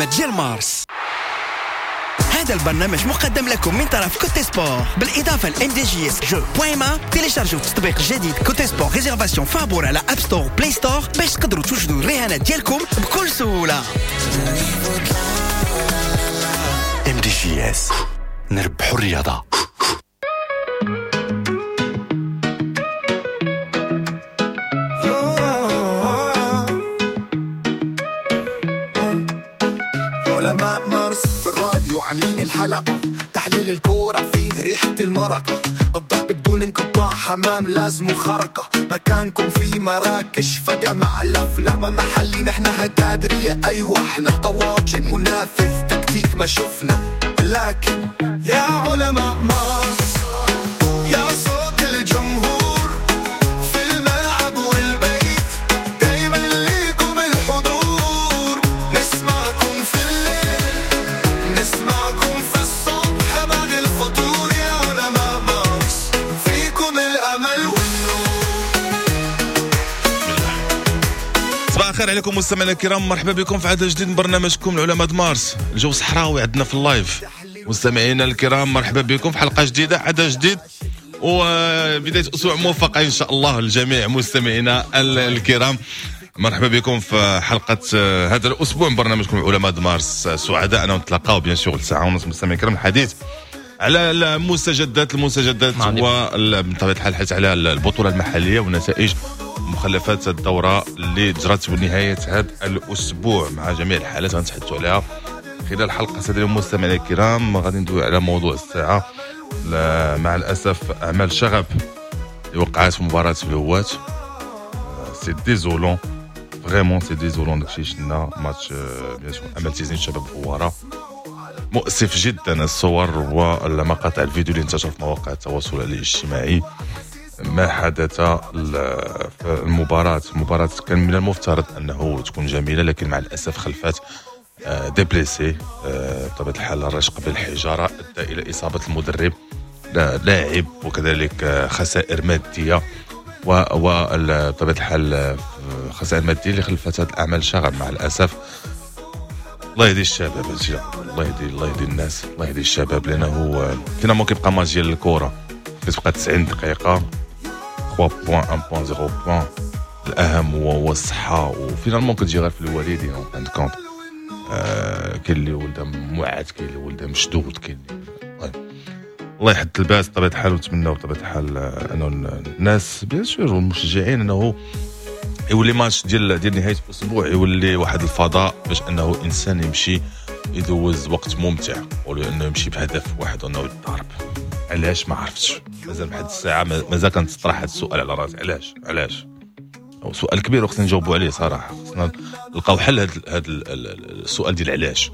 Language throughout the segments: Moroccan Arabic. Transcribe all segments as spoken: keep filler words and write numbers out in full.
العلماء ديال مارس. هذا البرنامج مقدم لكم من طرف Cote Sport بالاضافة ل MDJS jeux point ma. تيليشارجوا التطبيق الجديد Cote Sport réservation فابور على App Store Play Store باش تقدروا توجدوا الرهانات ديالكم بكل سهولة. MDJS نربحوا الرياضة. علماء مارس في الراديو عاملين الحلقة، تحليل الكورة فيه ريحة المرقة، الضرب بدون انقطاع، حمام لازم خرقة، مكانكم في مراكش فجأة مع الأفلام محلي، نحن هتادرية أيوة احنا طواجن منافذ تكتيك ما شفنا، لكن يا علماء مارس يا صوت الجمهور في الملعب والبيت، دايما ليكم الحضور، نسمعكم في الليل نسمعكم في الصبح بعد الفطور، يا علماء مارس فيكم الأمل والنور. صباح الخير عليكم مستمعينا الكرام، مرحبا بكم في عدد جديد من برنامجكم العلماء مارس. الجو صحراوي عندنا في ال live. مستمعينا الكرام مرحبا بكم في حلقة جديدة، عدد جديد وبداية أسبوع موفقة إن شاء الله للجميع. مستمعينا الكرام مرحبا بكم في حلقة هذا الأسبوع من برنامجكم العلماء مارس. سعداء أن نتلاقاو bien sûr الساعة ونص مستمعينا الكرام، الحديث على المستجدات المستجدات وبطبيعة الحال الحديث على البطولة المحلية ونتائج مخلفات الدورة اللي جرت بنهاية هذا الأسبوع مع جميع الحالات غنتحدثوا عليها خلال حلقة. سادة المستمعين الكرام غادي ندوي على موضوع الساعة. مع الأسف أعمال شغب اللي وقعت في مباراة الهواة، c'est désolant vraiment، c'est désolant داكشي شفنا match bien sûr أمل تيزنيت شباب هوارة، مؤسف جدا الصور والمقاطع الفيديو اللي انتشر في مواقع التواصل الاجتماعي. ما حدث في المباراة، المباراة كان من المفترض أنه تكون جميلة، لكن مع الأسف خلفت des blessés بطبيعة الحال. الرشق بالحجارة أدى إلى إصابة المدرب لاعب وكذلك خسائر مادية وبطبيعة الحال خسائر مادية اللي خلفت هذه الأعمال شغب مع الأسف. الله يهدي الشباب، الله يهدي الله يهدي الناس، الله يهدي الشباب، لأنه finalement كيبقى ماتش ديال الكرة كتبقى تسعين دقيقة ثلاثة points واحد point صفر point. الأهم هو هو الصحة، و finalement كتجي غير في الوالدين en fin de compte. آه كاين اللي ولده موعد، كاين اللي ولده مشدود، كاين اللي الله يحد الباس بطبيعة الحال. ونتمناو بطبيعة الحال أنه الناس bien sûr والمشجعين أنه يولي ماتش ديال ديال نهاية الأسبوع يولي واحد الفضاء باش أنه إنسان يمشي يدوز وقت ممتع، ولا أنه يمشي بهدف واحد أنه يتضارب. علاش ما عرفتش، مازال بحد الساعة مازال كنتطرح هذا السؤال على راسي، علاش علاش سؤال كبير وخصنا نجاوبوا عليه صراحة، خصنا نلقاو حل هذا هذا السؤال ديال علاش.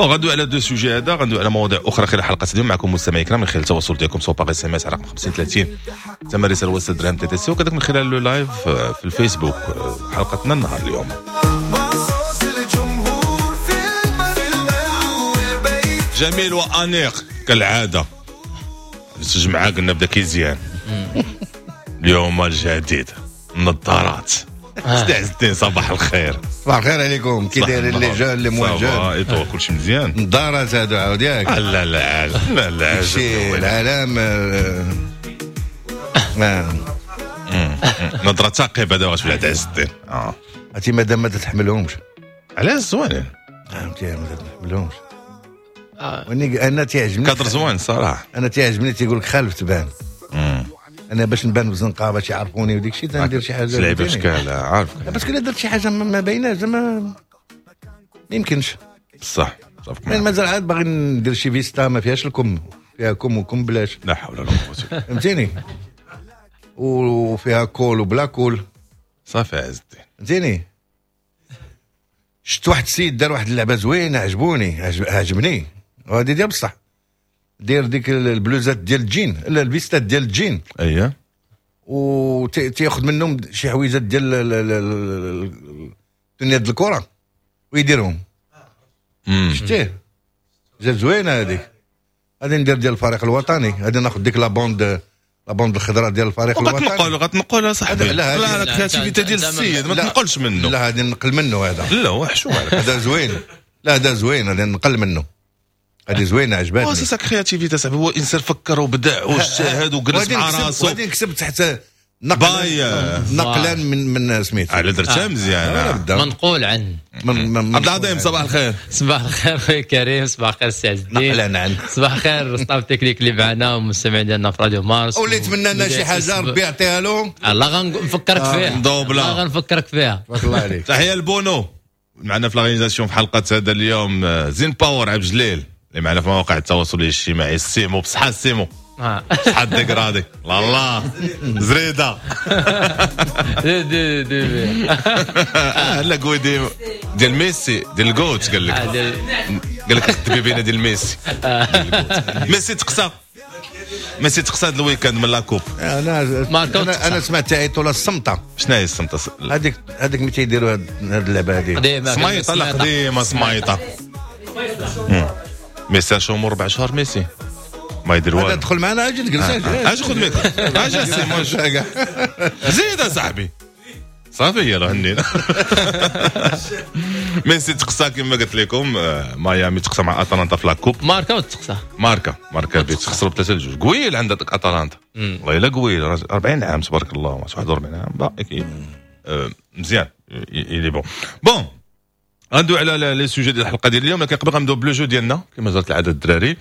bon غندوي على deux sujets هذا، غندوي على مواضيع اخرى خلال حلقة اليوم معكم مستمعي الكرام من خلال التواصل ديالكم سواء par SMS على رقم خمسين ثلاثين ثمن رسالة وسط درهم TTC، وكذلك من خلال le live في الفيسبوك حلقتنا النهار اليوم. جميل وانيق كالعادة، الجمعة قلنا بدا كيزيان اليوم الجديد النظارات. سيدي عز الدين صباح الخير. صباح الخير عليكم، كي دايرين les jeunes les moins jeunes؟ ايطو كلشي مزيان. النظارات هادو عاود ياك؟ لا لا لا لا شي العالم نظرة ثاقبة دابا غتولي عند عز الدين. اه عرفتي مادام ما تتحملهمش. علاش زوينين؟ فهمتي ما تتحملهمش. وني انا تيعجبني كادر زوين صراحة، انا تيعجبني تيقول لك خالف تبان. انا باش نبان بزنقه باش يعرفوني وديك الشيء تندير شي حاجة لعيبة شكال عارف، parce que الا درت شي حاجة ما بايناش زعما ما يمكنش. بصح مازال عاد باغي ندير شي فيستا ما فيهاش الكم، فيها كم وكم بلاش، لا حول ولا قوة، فهمتيني، وفيها col وبلا col. صافي عز الدين فهمتيني. شفت واحد السيد دار واحد اللعبة زوينة عجبوني عجبني، وهذه ديال بصح، دير ديك البلوزات ديال الجين، لا الفيستات ديال الجين، اييه، وتياخذ منهم شي حويجات ديال الدنيا ديال الكره ويديرهم. شتيه جات زوينة هذيك. غادي ندير ديال الفريق الوطني، غادي ناخذ ديك la bande la bande الخضراء ديال الفريق الوطني. غتنقل غتنقل صاحبي. لا لا ال créativité ديال السيد ما تنقلش منه. لا غادي نقل منه هذا. لا هو حشومه هذا زوين. لا هذا زوين، هذا نقل منه، هذه زوينة عجبتني. c'est sa créativité صاحبي، هو انسان فكر وبدع واجتهد وجلس مع راسو. وغادي نكتب تحت نقلا نقلا من من سميتو على درتها مزيان، منقول عن عبد العظيم. صباح الخير. صباح الخير خويا كريم، صباح الخير سي عز الدين. نقلا عن صباح الخير staff technique اللي معنا والمستمعين ديالنا في راديو مارس. واللي يتمنى لنا شي حاجة ربي يعطيها له. الله غنفكرك فيها، الله غنفكرك فيها. تبارك الله عليك. تحية لبونو معنا في la réalisation في حلقة هذا اليوم، زين باور عبد الجليل اللي معنا في مواقع التواصل الاجتماعي. السيمو بصحة، السيمو بصحة dégradé الله زريده دي دي دي لا قوي ديال ميسي ديال ال GOAT، قال لك قال لك الدبيبينه ديال ميسي. ميسي تقصى، ميسي تقصى هذا ال week-end من la coupe. انا انا انا سمعت تعيطوا لها الصمته. شنو هي الصمته؟ هذيك هذيك ملي تيديروا هذه اللعبة هذه سميطه. لا قديمة سميطه. ميسي شو ربع شهور ميسي ما يدير والو. هذا دخل معنا، اجي تجلس، اجي خذ ميكرو، اجي سيمون زيد اصاحبي صافي يلا هنينا. ميسي تقصى كما قلت لكم، ميامي تقصى مع اتلانتا في la coupe. ماركا وتقصى ماركا ماركا بيت خسروا بثلاثة لجوج. قويل عند اتلانتا والله الا قويل، أربعين عام تبارك الله، واحد وأربعين عام باقي مزيان. il est bon bon غندوي على les sujets ديال الحلقة ديال اليوم، لكن قبل غنبداو ب le jeu ديالنا كما جرت العادة الدراري.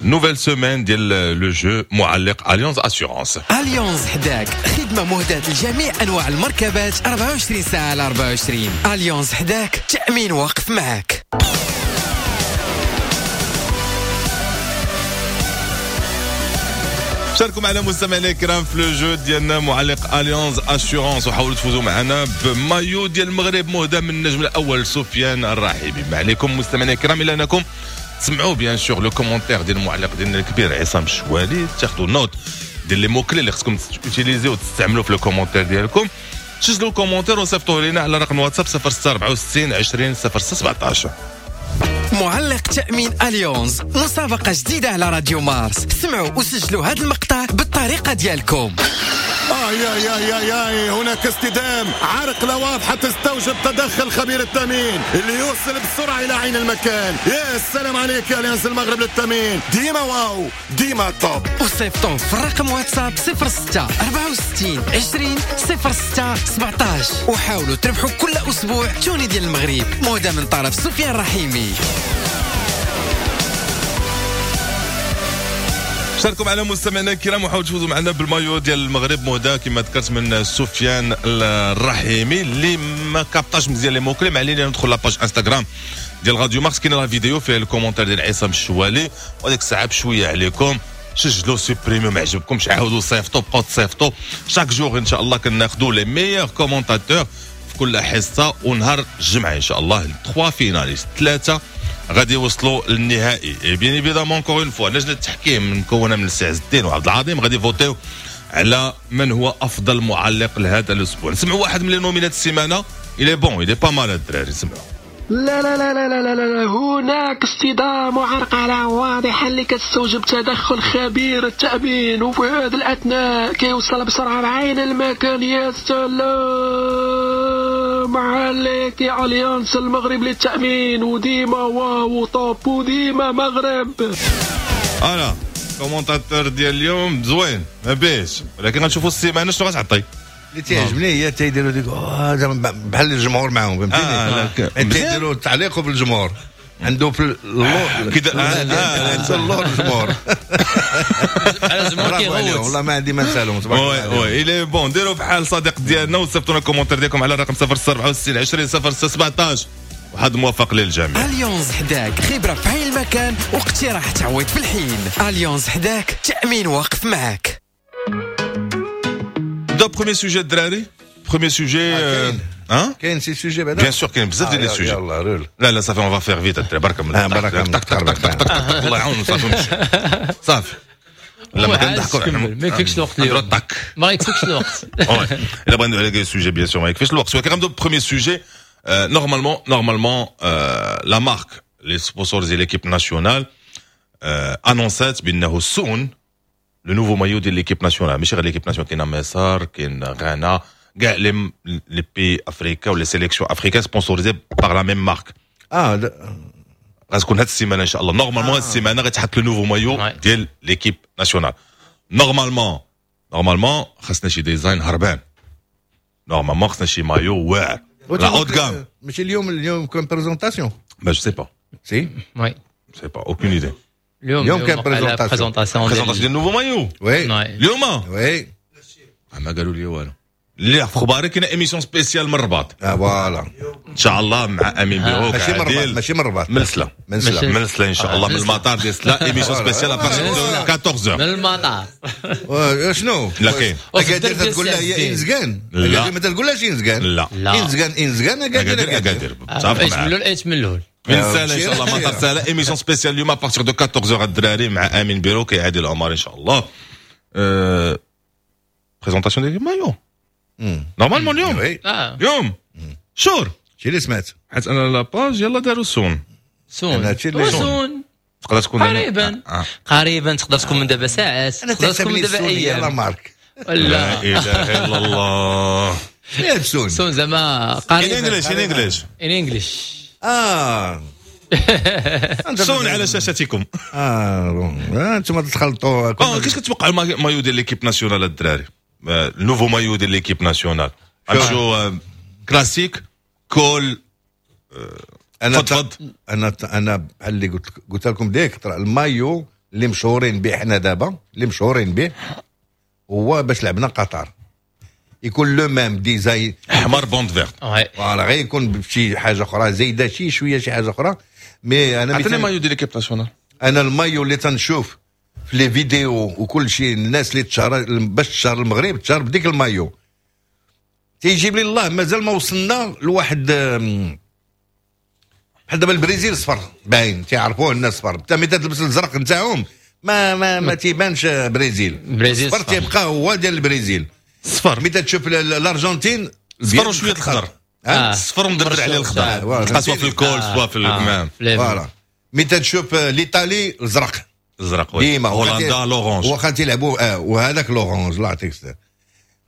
nouvelle semaine ديال le jeu معلق Allianz Assurances. Allianz حداك، خدمة مهداة لجميع انواع المركبات أربعة وعشرين ساعة على أربعة وعشرين. Allianz حداك، تامين واقف معاك. شاركوا معنا مستمعينا الكرام في le jeu ديالنا معلق Allianz Assurances، وحاولوا تفوزوا معنا بمايو ديال المغرب مهدى من النجم الاول سفيان الرحيبي. ما عليكم مستمعينا الكرام الا انكم تسمعوا bien sûr le commentaire ديال المعلق ديالنا الكبير عصام الشوالي، تاخذوا note ديال les mots clés اللي خصكم تيليزيو وتستعملوا في le commentaire ديالكم. سجلوا ال commentaire وصيفطوه لنا على رقم واتساب صفر ستة أربعة وستين عشرين صفر ستة سبعطاش. معلق تأمين Allianz، مسابقة جديدة على راديو مارس. سمعوا وسجلوا هذا المقطع بالطريقة ديالكم. آه يا يا يا يا هناك اصطدام، عرقلة واضحة تستوجب تدخل خبير التأمين اللي يوصل بسرعة إلى عين المكان. يا السلام عليك يا Allianz المغرب للتأمين، ديما واو ديما top. وصيفطوا في الرقم واتساب صفر ستة أربعة وستين عشرين صفر ستة سبعطاش وحاولوا تربحوا كل أسبوع tenue ديال المغرب مهدى من طرف سفيان رحيمي. شاركوا معنا مستمعينا الكرام وحاولوا تفوزوا معنا بالمايو ديال المغرب مهدى كما ذكرت من سفيان الرحيمي. اللي ما كابطاش مزيان les mots clés ما علينا ندخل la page انستغرام ديال راديو مارس، كاين la vidéo فيها ال commentaire ديال عصام الشوالي، وهذيك الساعة بشوية عليكم سجلوا supprimer ما عجبكمش عاودوا صيفطوا، بقاو تصيفطوا chaque jour ان شاء الله كناخذوا les meilleurs commentateurs في كل حصة. ونهار الجمعة ان شاء الله ثلاثة finalistes، ثلاثة غادي يوصلوا للنهائي. et bien évidemment encore une fois لجنة التحكيم مكونة من السي عز الدين وعبد العظيم غادي يفوتيو على من هو افضل معلق لهذا الاسبوع. نسمعوا واحد من les nominés السيمانة، il est bon il est pas mal الدراري، نسمعوا. لا لا لا لا لا لا لا، هناك اصطدام وعرقلة واضحة اللي كتستوجب تدخل خبير التأمين، وفي هذا الأثناء كيوصل بسرعة لعين المكان. يا سلام عليك يا Allianz المغرب للتأمين، وديما واو top وديما مغرب. انا commentateur ديال اليوم زوين ما بيش، ولكن غنشوفوا السيمانة شنو غتعطي. اللي تيعجبني هي تيديروا ديك بحال الجمهور معاهم، فهمتيني؟ آه تيديروا التعليق في الجمهور عنده في اللور كده، اللور الجمهور على الجمهور كيغوت. والله ما عندي ما نسالهم تبارك الله. oui il est bon. ديروا بحال صديق ديالنا وصيفطونا ال commentaire ديالكم على الرقم صفر ستة أربعة وستين عشرين صفر ستة سبعطاش. وحد موفق للجميع. Allianz حداك، خبره في عين المكان واقتراح تعويض في الحين. Allianz حداك، تامين واقف معاك. دا premier sujet الدراري، premier sujet ها كاين شي sujet بعدا؟ bien sûr كاين بزاف ديال les sujets. يلاه رول. لا لا صافي on va faire vite الدراري، بركة من بركة من تك تك تك تك تك الله يعاون صافي صافي. لا ما كنضحكوا ما يكفيكش الوقت اليوم، ما يكفيكش الوقت. الا بغينا ندوي على sujet bien sûr ما يكفيش الوقت، ولكن غنبداو premier sujet. normalement normalement la marque les sponsors ديال l'équipe nationale انونسات بانه soon le nouveau maillot ديال l'équipe nationale، ماشي غير l'équipe nationale، كاين مصر كاين غانا كاع les les pays africains و les sélections africaines sponsorisées par la même marque. اه غتكون هاد السيمانة ان شاء الله. normalement هاد السيمانة غيتحط le nouveau maillot ديال l'équipe nationale. normalement normalement خاصنا شي design هربان، normalement خاصنا شي مايو واعر la haute gamme. ماشي اليوم، اليوم كان présentation. mais je sais pas. si oui. sais pas، aucune idée. اليوم اليوم كان présentation. présentation ديال nouveau maillot. oui. اليوم. oui. ما قالوا لي والو. اللي في خباري كاينه émission spéciale من الرباط. اه voilà. ان شاء الله مع امين بيروك. ماشي من الرباط، ماشي من الرباط. من سلا. من سلا. من سلا ان شاء الله، من المطار ديال سلا، émission spéciale à partir de أربعطاش. من المطار. شنو؟ لا كاين. اكادير تقول لها هي انزكان. لا. اكادير ما تقولهاش انزكان. لا. لا. انزكان انزكان، اكادير. اكادير اكادير، متفق ايش معاك. من الاول، ايش من الاول. من سلا ان شاء الله، مطار سلا، émission spéciale اليوم à partir de أربعطاش الدراري مع امين بيروك عادل عمر ان شاء الله. présentation ديال maillot normalement اليوم. oui. اه. اليوم sûr. شي اللي سمعت. حيت انا la page يلا داروا soon. soon. أنا هادشي اللي- soon. تقدر تكون قريبا. آه. قريبا، تقدر تكون من دابا ساعات، انا تقدر تكون تحسبني من دابا ال soon هي la ايام. marque. لا ولا اله الا الله. شنو هي ال soon؟ soon زعما in قريبا. English، in English. in English. اه. soon على شاشتكم. اه bon. آه، انتم تخلطوا. اه، كيفاش كتوقع المايو ديال l'équipe nationale الدراري؟ آه، ال nouveau maillot ديال l'équipe nationale غنمشيو آه، classique col؟ انا تفضل. انا انا بحال اللي قلت قلت لكم ديك ترى المايو اللي مشهورين به حنا دابا، اللي مشهورين به هو باش لعبنا قطر، يكون le même design. احمر bande verte. oui. voilà، غير يكون بشي حاجة اخرى زايدة شي شويه، شي حاجة اخرى، mais انا عطيني مثلا مايو ديال l'équipe nationale. انا المايو اللي تنشوف في les vidéos وكل شيء، الناس اللي تشهر باش تشهر المغرب تشهر بديك المايو، تيجيب لي الله مازال ما وصلنا لواحد آم، بحال دابا البرازيل صفر باين، تيعرفوه الناس صفر. انت ملي تلبس الزرق نتاعهم ما ما ما تيبانش برازيل. برازيل صفر صفر. تيبقى هو ديال البرازيل. صفر. ملي تشوف ال- الارجنتين صفر وشوية الخضر. آه. صفر ومدبر عليه الخضر. آه، voilà. تلقى سوا في ال col سوا في الكمام. voilà، ملي تشوف l'Italie الزرق. الزرق، oui. ديما. هولندا l'orange. واخا تيلعبوا اه وهذاك l'orange، الله يعطيك الصحة.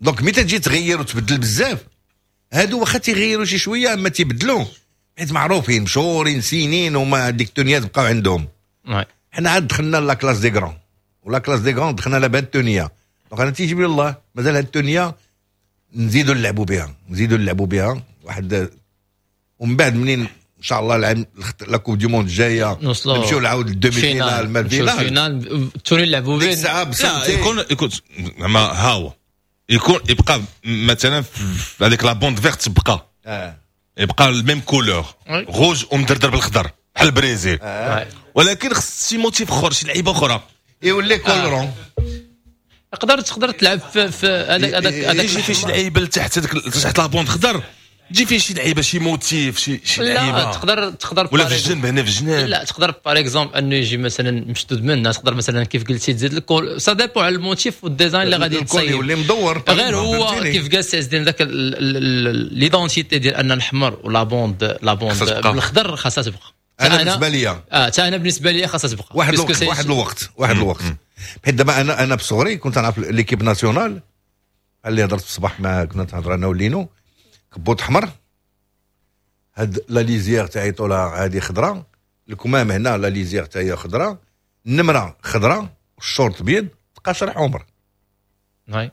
donc ملي تجي تغير وتبدل بزاف، هادو واخا تيغيروا شي شوية ما تيبدلوا، حيت معروفين مشهورين سنين وما ديك التونيات بقاو عندهم. oui. حنا عاد دخلنا la classe des grands و la classe des grands دخلنا لها بهاد التونيه. donc انا تيجيب لي الله مازال هاد التونيه نزيدوا نلعبوا بها، نزيدوا نلعبوا بها واحد، ومن بعد منين ان شاء الله العام la Coupe du Monde الجاية نوصلوا نمشيو نعاود ال demi-finale ما نمشيو ال finale. ال finale، ال tenue نلعبوا ديك به. الساعة لا. بسنتين. يكون يكون زعما ها هو يكون يبقى مثلا في هذيك la bande verte تبقى آه. يبقى ال même couleur oui. rouge ومدردر بالخضر بحال البرازيل، oui. ولكن خص شي motif اخر، شي لعيبة اخرى. يولي col rond. تقدر تقدر تلعب في في هذاك هذاك هذاك. يجي فيه شي لعيبة لتحت هذاك، تحت la bande خضر، تجي فيه شي لعيبه، شي motif، شي شي لا. لعيبه. تقدر تقدر ولا في الجنب هنا، في الجناب. لا، تقدر par exemple انه يجي مثلا مشدود منه، تقدر مثلا كيف قلتي تزيد ال col، ça dépend على ال motif وال design اللي غادي ال col تصايب. يولي مدور. غير هو فهمتيني؟ كيف قال سي عز الدين، ذاك l'identité ديال ان الاحمر و la bande la bande خاصها تبقى. بالخضر خاصها تبقى. انا بالنسبة لي اه، حتى انا بالنسبة لي خاصها تبقى. واحد parce que الوقت c'est- واحد الوقت واحد الوقت، حيت دابا انا انا بصغري كنت نعرف l'équipe nationale اللي هضرت في الصباح مع كنا تهضر انا ولينو، كبوت احمر، هاد la lisière تاعي طولها هادي خضراء، الكمام هنا la lisière تاعي خضراء، النمرة خضراء، الشورت بيض، تقاشر حمر. oui.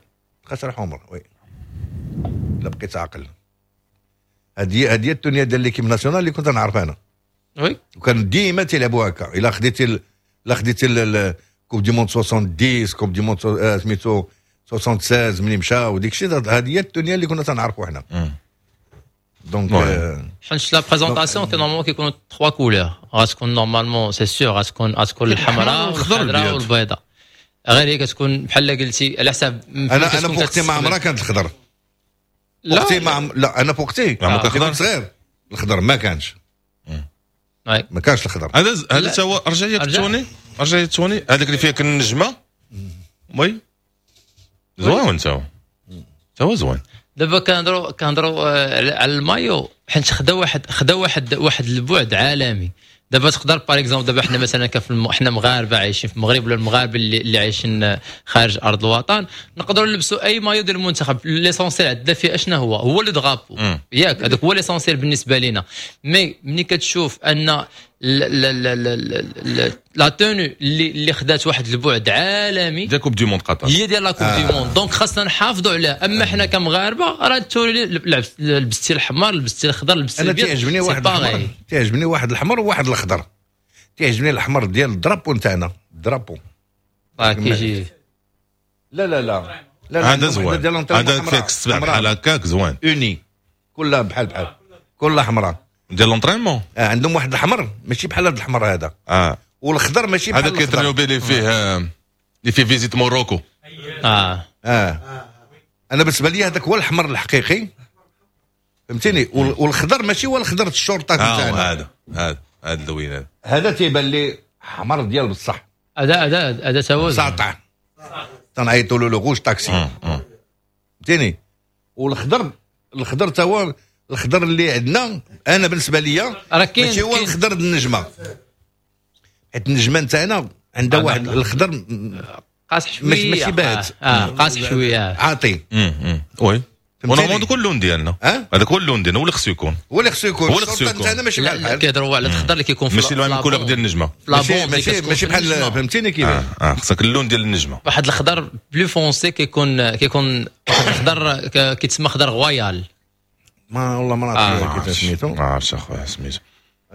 تقاشر حمر، oui. لا بقيت عاقل، هادي هادي التونيه ديال l'équipe nationale اللي كنت نعرف انا. oui. وكان ديما تيلعبوا هكا. الا خديتي ال- الا خديتي ال- ال- Coupe du Monde soixante-dix، Coupe du Monde آه، سميتو soixante-seize ملي مشى وديك الشيء، هذه هي التونيه اللي كنا تنعرفوا حنا. donc oui. آه، حيت la présentation كي normalement كيكونوا trois couleurs، غتكون normalement c'est sûr غتكون غتكون الحمراء والخضر والخضراء والأبيض. والبيضاء. غير هي كتكون بحال قلتي على حساب انا انا فوقتي ما عمرها كانت الخضر. لا. وقتي ما عم... لا، انا فوقتي ما كان كنت صغير الخضر ما كانش. oui. ما كانش الخضر. هذا هذا تا هو رجع لي رجع. ال tenue، رجع لي ال tenue هذاك اللي فيه كان النجمه، oui، زوين تا هو، تا هو زوين. دابا كنهضروا كنهضروا آه، على على المايو، حيت خدا واحد خدا واحد واحد البعد عالمي. دابا تقدر par exemple دابا حنا مثلا كف الم... حنا مغاربة عايشين في المغرب ولا المغاربة اللي, اللي عايشين آه، خارج ارض الوطن، نقدروا نلبسوا اي مايو ديال المنتخب. l'essentiel عندنا فيه اشنا هو هو le drapeau. مم. ياك؟ هذاك هو l'essentiel بالنسبة لينا. mais ملي كتشوف ان la tenue اللي اللي خدات واحد البعد عالمي ديال Coupe du Monde قطر، هي ديال la Coupe du Monde، donc خاصنا نحافظوا عليها. اما حنا كمغاربه راه ال tenue لبستي الحمر، لبستي الخضر، لبستي انا الابيض، تيعجبني واحد الحمر، تيعجبني واحد الحمر وواحد الخضر. تيعجبني الحمر ديال ال drapeau نتاعنا، ال drapeau اه كيجي. لا لا لا لا، هذا زوين، هذا فيك السبع بحال هكاك زوين. uni كلها بحال بحال، كلها حمراء. ديال l'entraînement. آه عندهم واحد الحمر ماشي بحال هذا الحمر هذا. اه والخضر ماشي بحال هذا كيترينو به اللي فيه اللي فيه Visit Morocco. اه اه انا بالنسبة لي هذاك هو الحمر الحقيقي، فهمتيني؟ والخضر ماشي هو الخضر الشرطة تاعنا. هذا هذا هذا اللوين هذا هذا تيبان لي حمر ديال بصح. هذا هذا هذا تا هو ساطع، تنعيطوا له le rouge taxi، فهمتيني؟ والخضر، الخضر تا هو الخضر اللي عندنا، انا بالنسبة ليا ماشي هو الخضر النجمه، حيت النجمة نتاعنا عندها واحد الخضر قاصح شويه، ماشي باهت. اه, آه قاصح شويه. عاطي. oui، و normalement هذاك اللون ديالنا، هذاك هو اللون ديالنا، هو اللي خصو يكون. هو اللي خصو يكون. هو اللي خصو يكون. نتاعنا ماشي بحال بحال. كيهضروا على الخضر اللي كيكون في ماشي la couleur ديال النجمه. ماشي ماشي ماشي بحال، فهمتيني كيفاش؟ اه, آه خصك اللون ديال النجمه. واحد الخضر plus foncé، كيكون كيكون واحد الخضر كيتسمى خضر royal. ما والله ما نعرف كيفاش سميتو. ما عرفتش اخويا سميتو،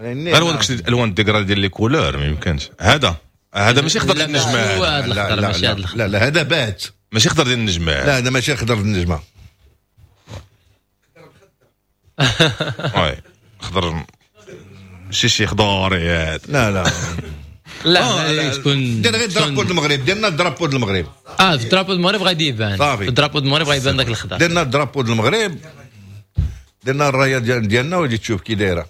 غير هو داك الالوان dégradé ديال les couleurs ما يمكنش. هذا هذا ماشي خضر ديال النجمه. هو هذا الخضر، ماشي هذا الخضر. لا لا، هذا بات. ماشي خضر ديال النجمه. لا، هذا ماشي خضر ديال النجمه. oui، خضر ماشي شي خضاري. لا لا. لا، تكون دير غير drapeau المغرب، ديرنا drapeau المغرب. اه في drapeau المغرب غادي يبان. صافي. في drapeau المغرب غيبان ذاك الخضر. درنا drapeau المغرب، درنا الراية ديال ديالنا وجي تشوف كي دايره.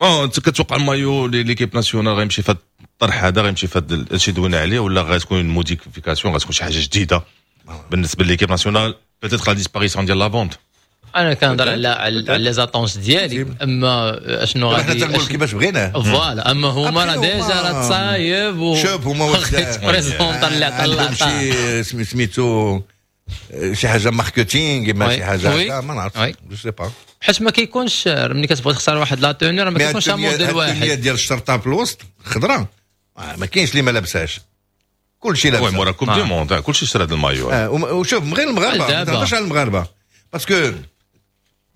اه انت كتوقع ال maillot l'équipe nationale غيمشي في هذا الطرح هذا، غيمشي في هذا الشيء دوينا عليه، ولا غتكون modification، غتكون شي حاجة جديدة بالنسبة l'équipe nationale، peut-être la disparition ديال la bande؟ انا كنهضر على على les attentes ديالي، اما اشنو غادي حنا تنقول كيفاش بغيناه. voilà، اما هما راه déjà راه تصايب و شوف هما présenta اللي طلع شي سميتو شي حاجة marketing، ما شي حاجه، ما نعرف، je sais pas. حيت ما كيكونش، ملي كتبغي تختار واحد la tenue راه ما كيكونش موديل واحد. ديال الشرطة في الوسط خضراء ما كاينش اللي ما لابسهاش، كلشي لابس. oui، مورا Coupe du Monde كلشي شرا هذا المايو. آه وشوف من غير المغاربه، ما تهضرش على المغاربه، parce que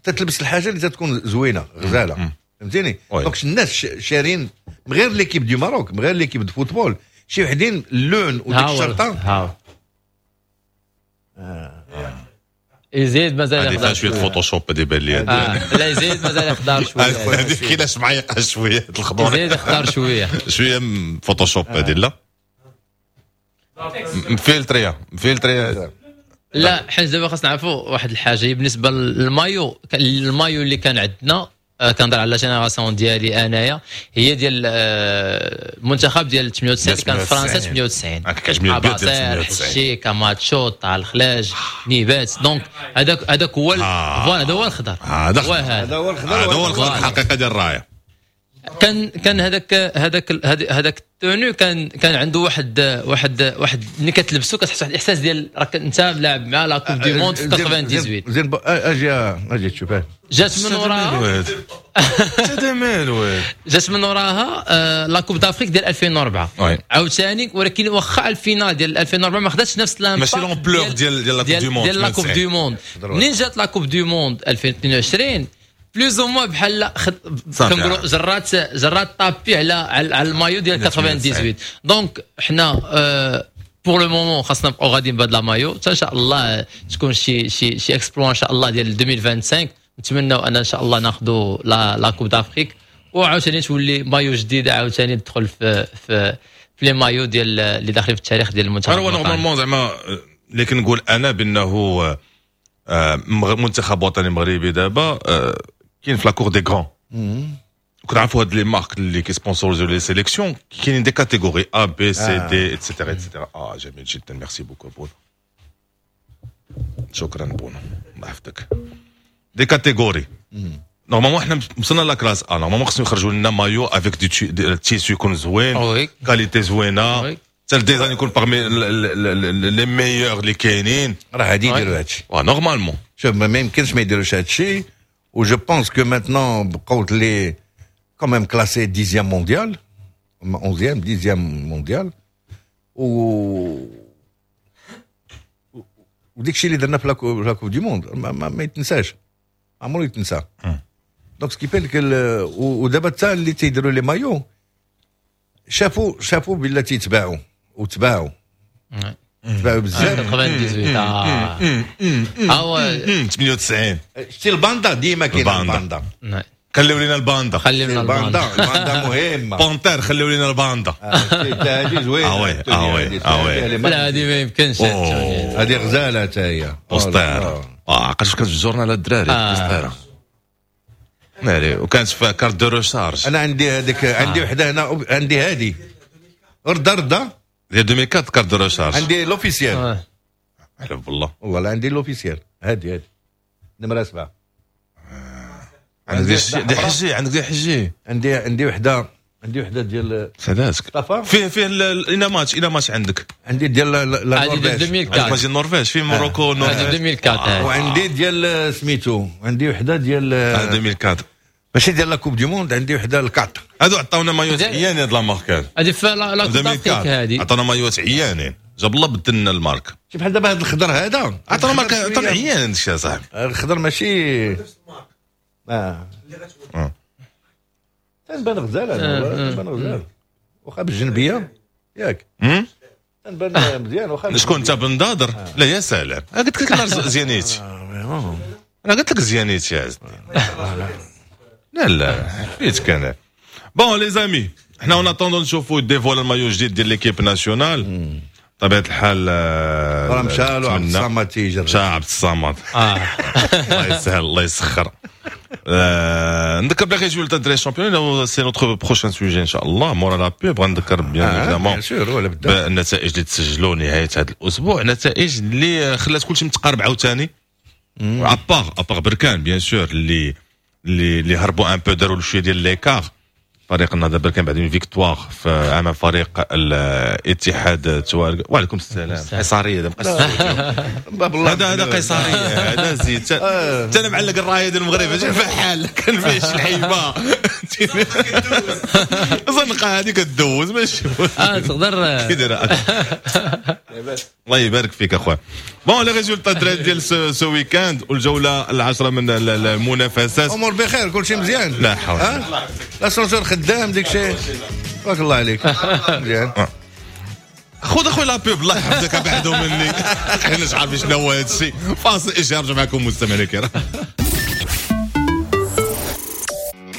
تتلبس الحاجة اللي تتكون زوينة غزاله، فهمتيني؟ donc الناس شارين من غير l'équipe du Maroc، من غير l'équipe de football، شي وحدين اللون وديك الشرطه. ها آه. يزيد مازال يخضر شويه، Photoshop هذه بان لي. آه. لا، يزيد مازال يخضر شويه. هذه كاينه معيقه شوية الخضور. يزيد يخضر شويه. شوية Photoshop هذه، لا مفلتريه مفلتريه. لا، حيت دابا خاصنا نعرفوا واحد الحاجه بالنسبة لل maillot، ال maillot اللي كان عندنا، آه، كنهضر على génération ديالي انايا، هي ديال المنتخب ديال ثمانية وتسعين، كان فرنسا ثمانية وتسعين، كيعجبني. حشي، كاماتشو، طه الخلاج، نيبات، donc هذاك هذاك هو، voilà، هذا هو الخضر. هذا هو هذا هو الخضر. هذا هو الخضر الحقيقة ديال الرايه. كان كان هذاك هذاك هذاك ال tenue كان كان عنده واحد واحد واحد ملي كتلبسو كتحس واحد الاحساس ديال راك انت لاعب مع la Coupe du Monde في ثمانية وتسعين. زين، اجي اجي تشوف. جات من وراها جات من وراها آه، la Coupe d'Afrique ديال ألفين وأربعة عاوتاني، ولكن واخا ال finale ديال ألفين وأربعة ما خداتش نفس l'impact، ماشي l'ampleur ديال ديال la Coupe du Monde. ديال la Coupe du Monde. منين جات la Coupe du Monde ألفين واثنين وعشرين، plus ou moins بحال كنقولوا جرات جرات tapis على على المايو ديال ثمانية وتسعين. donc حنا pour le moment خاصنا نبقاو غاديين بهذا المايو حتى ان شاء الله تكون شي شي شي exploit ان شاء الله ديال ألفين وخمسة وعشرين. نتمناو ان ان شاء الله ناخذوا la la Coupe d'Afrique وعاوتاني تولي مايو جديده، عاوتاني تدخل في في في les maillots ديال اللي داخلين في التاريخ ديال المنتخب. هو normalement زعما اللي كنقول انا بانه آه، منتخب وطني مغربي دابا آه، كاين في la cour des grands. كنعرفوا هاد les marques اللي كيسبونسوريزو les sélections، كاينين des catégories A B C D et cetera et cetera. اه جميل جدا، merci beaucoup بونو، شكرا بونو، الله يحفظك. des catégories، normalement حنا وصلنا la classe A، normalement خصهم يخرجوا لنا maillot avec du tissu يكون زوين، qualité زوينه، حتى ال design يكون parmi les meilleurs اللي كاينين. راه غادي يديروا هادشي. normalement. شوف، ما يمكنش ما يديروش هادشي، و je pense que maintenant بقاو les quand même classé dixième mondial. onzième dixième mondial، و وديك الشيء اللي درنا في la Coupe du monde ما, ما, ما يتنساش، عمرو يتنسى. donc ce qui fait ودابا حتى اللي تيديروا les maillots شافوا شافوا بلا تيتباعوا وتباعوا تباعوا بزاف. ثمانية وتسعين، اه هو ثمانية وتسعين. شتي الباندا، ديما كاين الباندا. خليو لنا الباندا. خليو لنا الباندا، الباندا مهمه. panthère، خليو لنا الباندا. هذه زوينه. اه oui اه oui اه oui. لا، هذه ما يمكنش. هذه غزاله حتى هي. poster، اه عقلت كانت في ال journal الدراري، poster ناري، وكانت في carte de recharge. انا عندي هذيك، عندي وحده هنا، عندي هذه رده رده. ديال ألفين وأربعة carte de recharge. عندي l'officielle. حلف بالله؟ والله لا، عندي l'officielle هذه، هذه نمره سبعه. عندك دي حجي، عندك دي حجي. عندي عندي وحده، عندي وحده ديال سعداتك. فيه فيه الى ماتش الى ماتش عندك؟ عندي ديال لا النرويج. ألفين وأربعة ماتش النرويج في Morocco. هذه ألفين وأربعة. وعندي ديال سميتو، عندي وحده ديال ألفين وأربعة. ماشي ديال la Coupe du monde، عندي وحده ال quatre. هادو عطاونا مايوات عيانين، هاد la marque. هذه في la Coupe d'Afrique هذه. عطاونا مايوات عيانين، جاب الله بدلنا ال marque. شوف بحال دابا هذا الخضر هذا. عطاونا marque، عطاونا عيان هذا الشيء صاحبي. الخضر ماشي اه آه. تنبان غزال هذا، تنبان غزال واخا بالجنبيه، ياك؟ تنبان مزيان واخا. شكون انت بنضادر؟ لا يا سلام، انا قلت لك نهار زيانيتي، انا قلت لك زيانيتي يا عز. لا لا، حبيتك انا. bon les amis، حنا en attendant نشوفوا dévoiler المايو جديد ديال l'équipe nationale، طبيعة الحال. راه مشى له عبد الصمد تيجري. مشى عبد الصمد. اه الله يسهل، الله يسخر. آه، نذكر بلي résultats دري championnat، c'est notre prochain sujet ان شاء الله مورا la pub. غنذكر bien évidemment bien sûr ولا بدا. بالنتائج اللي تسجلوا نهاية هذا الاسبوع، نتائج اللي خلات كلشي متقارب عاوتاني، à part à part بركان bien sûr اللي اللي اللي هربوا un peu، داروا شوية ديال l'écart. فريق النهضة بركان بعد une victoire في امام فريق الاتحاد توارق. وعليكم السلام. قيصريه، هذا هذا قيصريه، هذا زيد حتى انا معلق الراية ديال المغرب فحال كان فيه شي لعيبة زنقه هذه كدوز ماشي. اه تقدر. كي داير؟ الله يبارك فيك اخويا. bon les résultats دراري ديال ce week-end والجوله العشرة من المنافسات. امور بخير، كل شيء مزيان. لا حول. l'ascenseur خدام، ديك الشيء، بارك الله عليك، مزيان. خذ اخويا la pub، الله يحفظك، بعدوا مني، حنا مش عارفين شنو هو هذا الشيء. فاصل اشهار، نرجع معكم مستمعينا الكرام.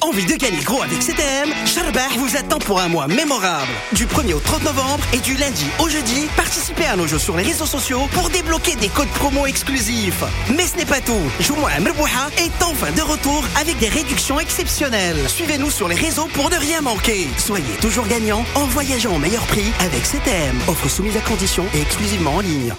Envie de gagner gros avec C T M؟ Charbah vous attend pour un mois mémorable. Du premier au trente novembre et du lundi au jeudi, participez à nos jeux sur les réseaux sociaux pour débloquer des codes promo exclusifs. Mais ce n'est pas tout. جمعة مربوحة est enfin de retour avec des réductions exceptionnelles. Suivez-nous sur les réseaux pour ne rien manquer. Soyez toujours gagnant en voyageant au meilleur prix avec C T M. Offre soumise à conditions et exclusivement en ligne.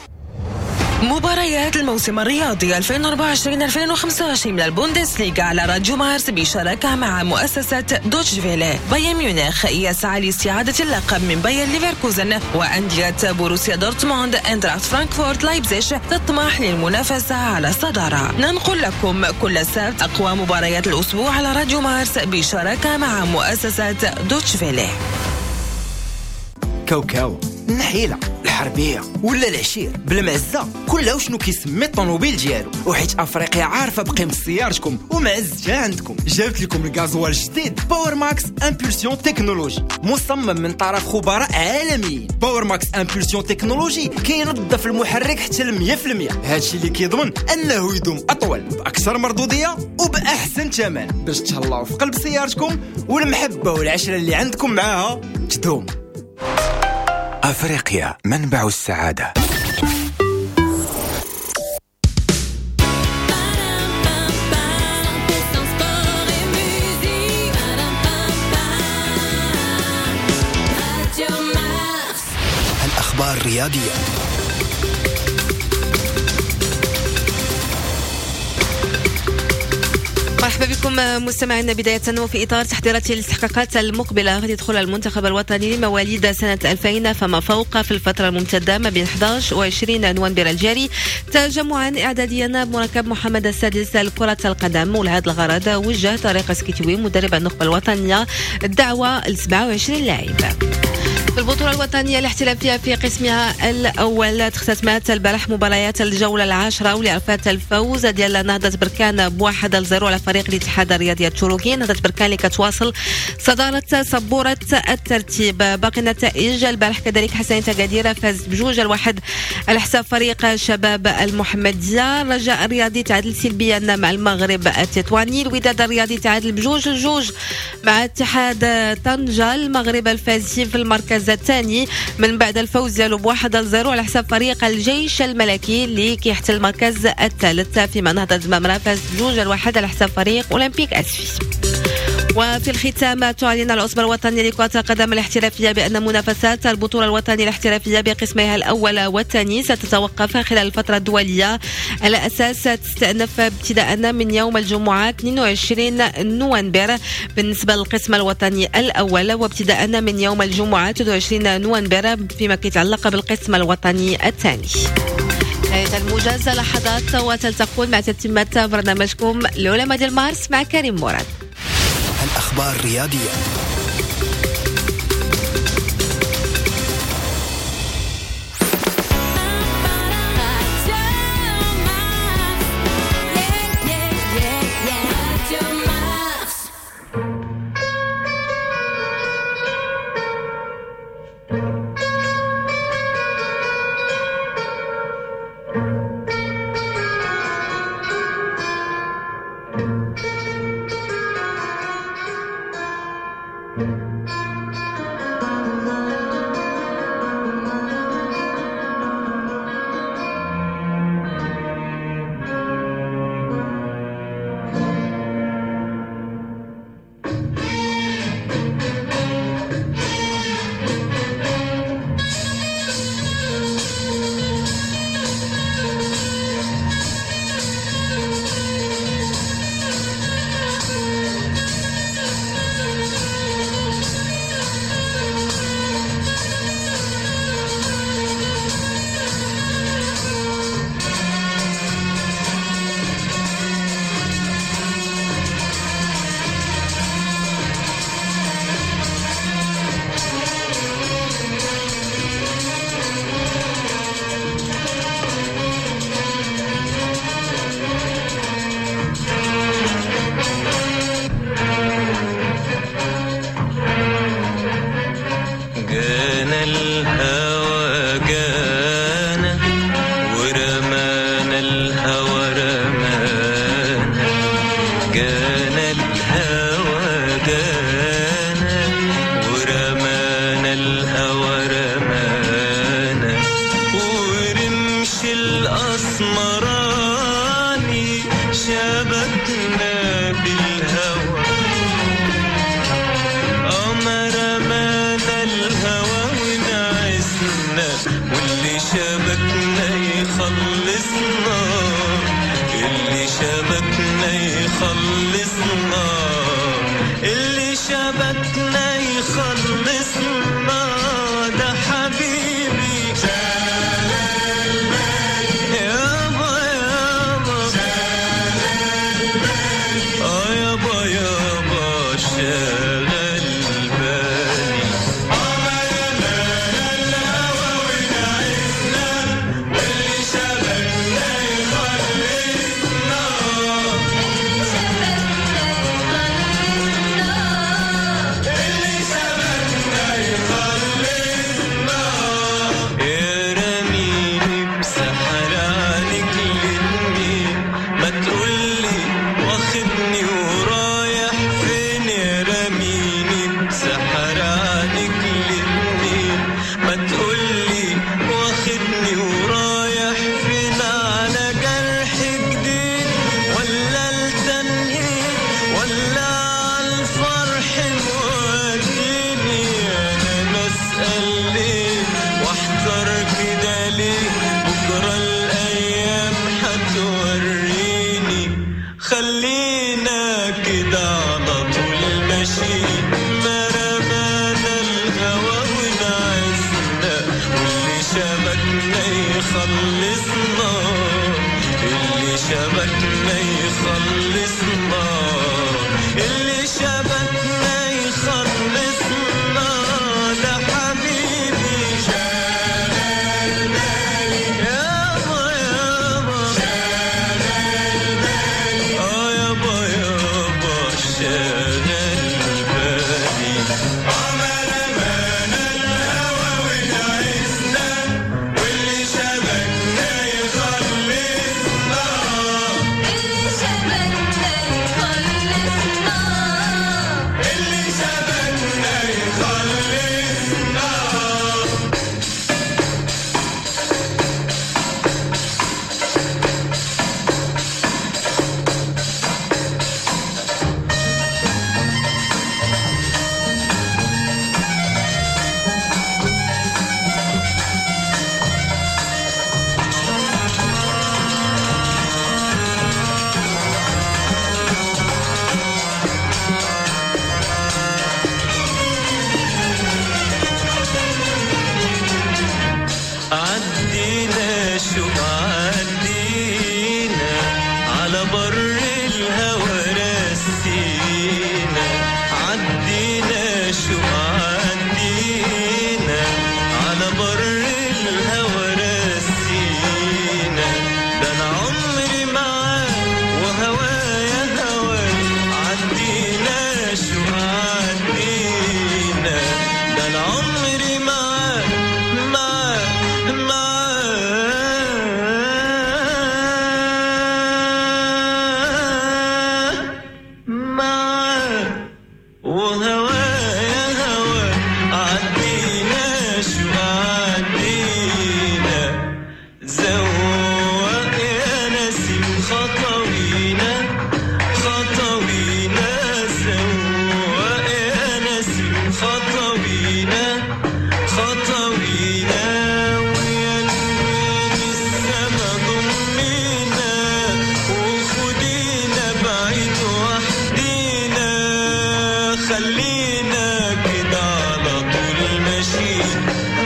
مباريات الموسم الرياضي ألفين وأربعة وعشرين ألفين وخمسة وعشرين من البوندسليغا على راديو مارس بشراكة مع مؤسسة دوتش فيلي. بايرن ميونخ يسعى لاستعادة اللقب من باير ليفركوزن، وأندية بوروسيا دورتموند، اندراخت فرانكفورت، لايبزيش تطمح للمنافسة على الصدارة. ننقل لكم كل سبت أقوى مباريات الأسبوع على راديو مارس بشراكة مع مؤسسة دوتش فيلي. كاوكاو، النحيله، الحربيه ولا العشير بالمعزه، كلها وشنو كيسمي الطوموبيل ديالو. وحيت افريقيا عارفه بقيمة سيارتكم ومعزتها عندكم، جابت لكم الغازوال الجديد Power Max Impulsion Technology، مصمم من طرف خبراء عالميين. Power Max Impulsion Technology كينظف المحرك حتى ل مية في المية، هادشي اللي كيضمن انه يدوم اطول باكثر مردوديه وباحسن ثمن، باش تهلاو في قلب سيارتكم والمحبة والعشرة اللي عندكم معاها تدوم. أفريقيا منبع السعادة. Radio Mars. الأخبار الرياضية. مرحبا بكم. بكم مستمعينا. بداية وفي إطار تحضيرات الاستحقاقات المقبلة غادي يدخل المنتخب الوطني لمواليد سنة ألفين فما فوق في الفترة الممتدة ما بين أحد عشر وعشرين نوفمبر الجاري تجمعا إعداديا بمركب محمد السادس لكرة القدم، ولهذا الغرض وجه طارق سكيتوي مدرب النخبة الوطنية الدعوة ل سبعة وعشرين لاعب. في البطولة الوطنية الاحترافية في قسمها الأول تختتمات البارح مباريات الجولة العاشرة واللي عرفت الفوز ديال نهضة بركان بواحد لزيرو على فريق الاتحاد الرياضي التشروكي. نهضة بركان اللي كتواصل صدارة سبورة الترتيب. باقي النتائج البارح كذلك حسنية أكادير فاز بجوج لواحد على حساب فريق شباب المحمدية. الرجاء الرياضي تعادل سلبيا مع المغرب التطواني. الوداد الرياضي تعادل بجوج لجوج مع اتحاد طنجة. المغرب الفاسي في المركز الثاني من بعد الفوز ديالو بواحد لزيرو على حساب فريق الجيش الملكي اللي كيحتل المركز الثالث، فيما نهضة زمامرة فاز بجوج لواحد على حساب فريق أولمبيك أسفي. وفي الختام تعلن العصبة الوطنية لكرة القدم الاحترافية بأن منافسات البطولة الوطنية الاحترافية بقسميها الأول والثاني ستتوقف خلال الفترة الدولية على أساس تستأنف ابتداء من يوم الجمعة اثنين وعشرين نوفمبر بالنسبة للقسم الوطني الأول، وابتداء من يوم الجمعة ثلاثة وعشرين نوفمبر فيما يتعلق بالقسم الوطني الثاني. نهاية الموجز لحظات وتلتقون مع تتمة برنامجكم العلماء ديال مارس مع كريم مراد. الأخبار الرياضية. خلينا كده على طول ماشيين، ما رمانا الهوى ونعسنا، واللي شبكنا يخلصنا، اللي شبكنا يخلصنا، اللي شبكنا يخلصنا. ده حبيبي شغال بالي يابا يابا، شغال بالي اه يابا يابا، شغال بالي. عمر رمانا الهوى ونعسنا، واللي شبكنا يخلصنا، اللي شبكنا يخلصنا، اللي شبكنا يخلصنا. عدينا شو عدينا على بر الهوى رسينا، عدينا شو عدينا على بر الهوى رسينا. ده انا عمري معاك وهوايا هواك، عدينا شو عدينا، ده انا عمري معاك معاك معاك معاك وهوايا هوا. عدينا شو عدينا، زوق يا نسيم خطوينا خطوينا، زوق يا نسيم خطوينا خطوينا، ويا نجوم السما ضمينا، وخدينا بعيد وحدينا، خلينا كده على طول ماشيين،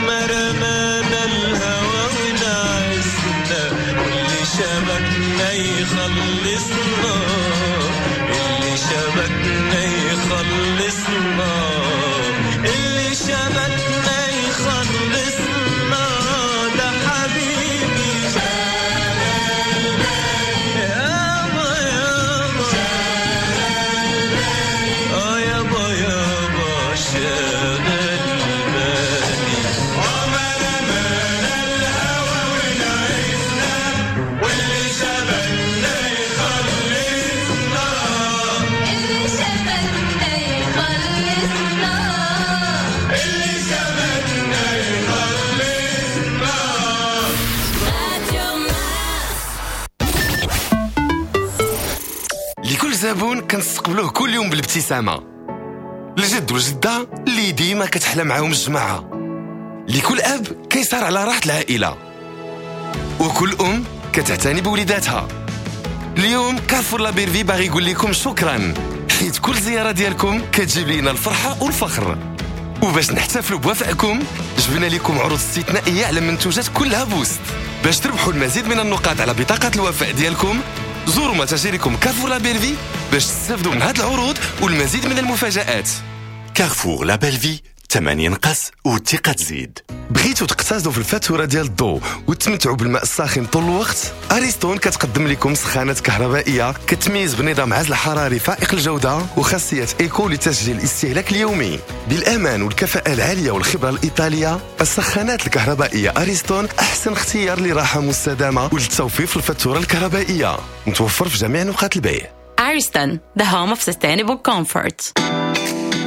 ما رمانا الهوى ونعسنا، واللي شبكنا يخلصنا، اللي شبكنا يخلصنا، اللي شبكنا يخلصنا. ده حبيبي شغال بالي يابا يابا، شغال بالي اه يابا يابا، شغال بالي. عمر رمانا الهوى ونعسنا، واللي شبكنا يخلصنا، اللي شبكنا يخلصنا، اللي شبكنا يخلصنا. راديو مارس. لكل زبون كنستقبلوه كل يوم بالابتسامة، الجد والجدة اللي ديما كتحلى معاهم الجماعة، لكل أب كيسهر على راحة العائلة، وكل أم كتعتني بوليداتها. اليوم Carrefour Label'Vie باغي يقول لكم شكرا، حيت كل زيارة ديالكم كتجيب لينا الفرحة والفخر. وباش نحتفلوا بوفائكم جبنا لكم عروض استثنائية على منتوجات كلها boost باش تربحوا المزيد من النقاط على بطاقة الوفاء ديالكم. زوروا متاجركم Carrefour Label'Vie باش تستافدوا من هذه العروض والمزيد من المفاجآت. Carrefour Label'Vie، الثمن ينقص والثقة تزيد. بغيتوا تقتصدوا في الفاتورة ديال الضوء وتمتعوا بالماء الساخن طول الوقت؟ اريستون كتقدم لكم سخانات كهربائية كتميز بنظام عزل حراري فائق الجودة وخاصيه éco لتسجيل الاستهلاك اليومي. بالامان والكفاءة العالية والخبرة الايطالية، السخانات الكهربائية اريستون احسن اختيار لراحه مستدامة وللتوفير في الفاتورة الكهربائية. متوفر في جميع نقاط البيع. Ariston, the home of sustainable comfort.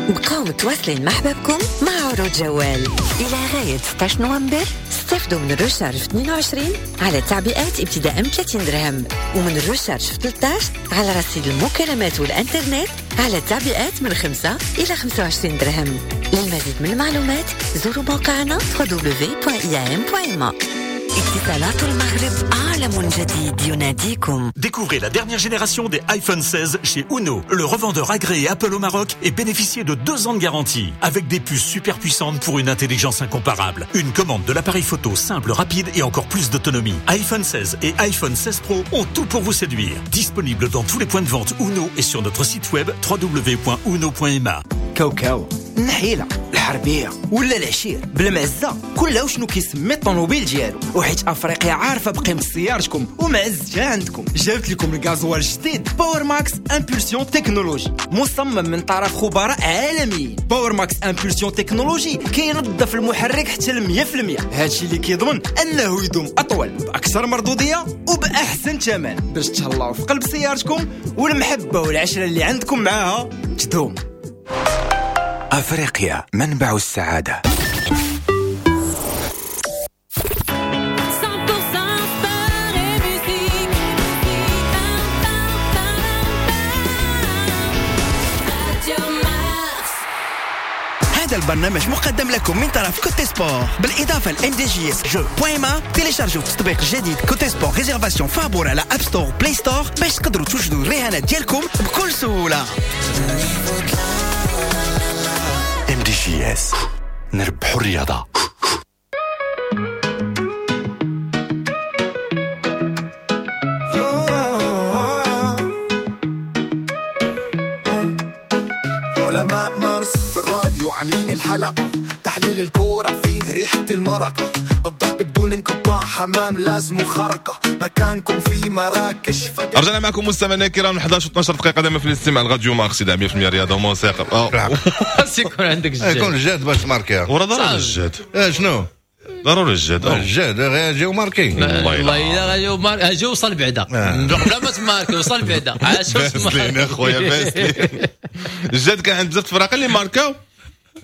بقاو متواصلين مع حبابكم مع عروض جوال إلى غاية ستة عشر نوفمبر. استفدوا من ال recharge في اثنين وعشرين على تعبئات ابتداء من ثلاثين درهم، ومن ال recharge في ثلاثة عشر على رصيد المكالمات والإنترنت على تعبئات من خمسة إلى خمسة وعشرين درهم. للمزيد من المعلومات زوروا موقعنا دبليو دبليو دبليو دوت آي إم دوت إم إيه. اتصالات المغرب عالم جديد يناديكم. Découvrez la dernière génération des iPhone seize chez Uno, le revendeur agréé Apple au Maroc, et bénéficiez de deux ans de garantie avec des puces super puissantes pour une intelligence incomparable. Une commande de l'appareil photo simple, rapide et encore plus d'autonomie. iPhone seize et iPhone seize Pro ont tout pour vous séduire. Disponible dans tous les points de vente Uno et sur notre site web w w w point uno point m a. كاوكاو، النحيله، الحربية ولا العشير بالمعزه، كلها وشنو كيسمي الطوموبيل ديالو. وحيت افريقيا عارفه بقيمة سيارتكم ومعزتها عندكم، جابت لكم الغازوال الجديد Power Max Impulsion Technology، مصمم من طرف خبراء عالميين. Power Max Impulsion Technology كينظف المحرك حتى ل مية في المية، هادشي اللي كيضمن انه يدوم اطول باكثر مردوديه وباحسن ثمن، باش تهلاو في قلب سيارتكم والمحبة والعشرة اللي عندكم معاها تدوم. أفريقيا منبع السعادة. هذا البرنامج مقدم لكم من طرف Cote Sport، بالإضافة ل إم دي جي إس جو point ma. تيليشارجوا التطبيق الجديد Cote Sport réservation فابور على App Store Play Store باش تقدروا توجدوا الرهانات ديالكم بكل سهولة. إم دي جي إس نربحوا الرياضة. علماء مارس في الراديو عاملين الحلقة، تحليل الكورة فيه ريحة المرقة، الضرب بدون انقطاع، حمام لازم خرقة، مكانكم في مراكش. رجعنا معكم مستمعينا الكرام إحدى عشر واثنا عشر دقيقة دائما في الاستماع لراديو مارس مية في المية رياضة وموسيقى. خاص يكون عندك الجهد، يكون الجهد باش تماركيها. وراه ضروري الجهد. شنو؟ ضروري الجهد. الجهد غير ماركي. والله الا غير ماركي وصل بعدا قبل ما تماركي وصل بعدا. باسلين اخويا باسلين. الجهد كان عند بزاف الفرق اللي ماركاو.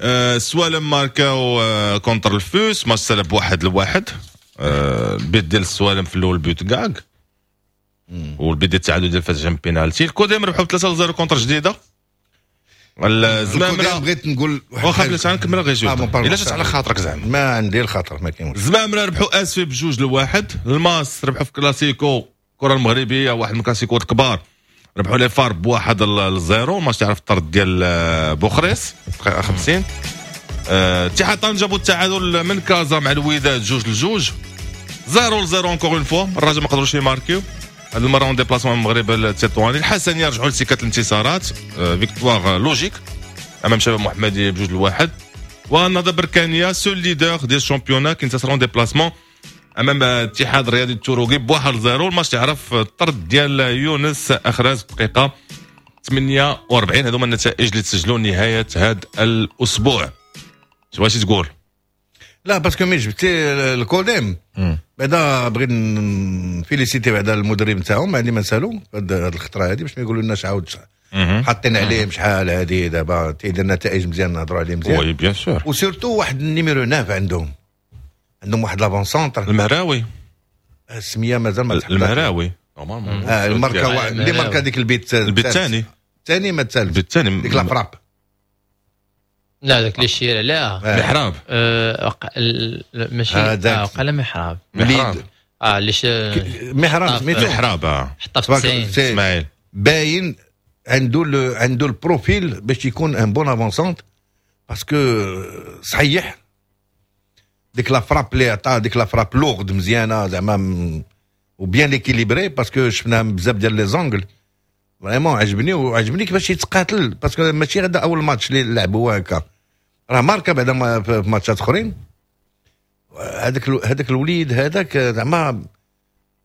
السوالم ماركاو contre الفوس، ماتش سالب بواحد لواحد. البيت ديال السوالم في الاول but كاك، والبيت ديال التعادل ديال فاس جام بينالتي. الكوديم ربحوا ثلاثة صفر contre جديدة. الزمامره بغيت نقول واخا بلاتي غنكمل غير جوج الا جات على خاطرك زعما. ما عندي الخاطر ما كاين. الزمامره ربحوا اسفي بجوج لواحد. الماس ربحوا في كلاسيكو الكره المغربية، واحد من الكلاسيكوات الكبار، ربحوا les FAR بواحد ل zéro. ماتش تعرف الطرد ديال بوخريس دقيقة خمسين. اتحاد طنجة جابوا التعادل من كازا مع الوداد جوج لجوج، zéro ل zéro encore une fois. الرجاء ما قدروش يماركيو هذه المرة en déplacement المغرب التطواني. الحسنيه رجعوا لسكه الانتصارات، victoire logique امام شباب محمدي بجوج لواحد. والنهضه بركانيه seul leader ديال ال championnat كينتصروا en déplacement امام الاتحاد الرياضي التروقي بواحد zéro. الماتش تعرف الطرد ديال يونس اخراز دقيقة ثمانية وأربعين. هذوما النتائج اللي تسجلوا نهاية هذا الاسبوع. واش تقول؟ لا parce que ملي جبتي الكوديم بعدا بغيت ن féliciter بعدا المدرب نتاعهم، ما عندي ما نسالو هاد الخطرة هادي باش ما يقولوا لناش عاود حاطين عليهم شحال هادي. دابا تيدير نتائج مزيان نهضروا عليه مزيان. oui bien sûr. و surtout واحد ال numéro تسعة عندهم، عندهم واحد l'avant-centre المهراوي، السمية مازال ما تحطش. المهراوي normalement اه الماركة اللي ماركا ديك البيت البيت الثاني الثاني ما الثالث البيت الثاني ديك la frappe. لا داك اللي شير عليها محراب. آه ماشي اه وقال محراب محراب اه اللي ش... محراب سميتو محراب حطها في تسعين اسماعيل. باين عنده ال... عنده ال profil باش يكون un bon avant-centre parce que صحيح ديك la frappe اللي عطا، ديك la frappe lourde مزيانه زعما و bien équilibrée parce que شفناها بزاف ديال les angles. vraiment عجبني وعجبني كيفاش يتقاتل parce que ماشي غدا اول ماتش اللي لعبوا هكا، راه ماركا بعدا في ماتشات اخرين. هذاك هذاك الوليد هذاك زعما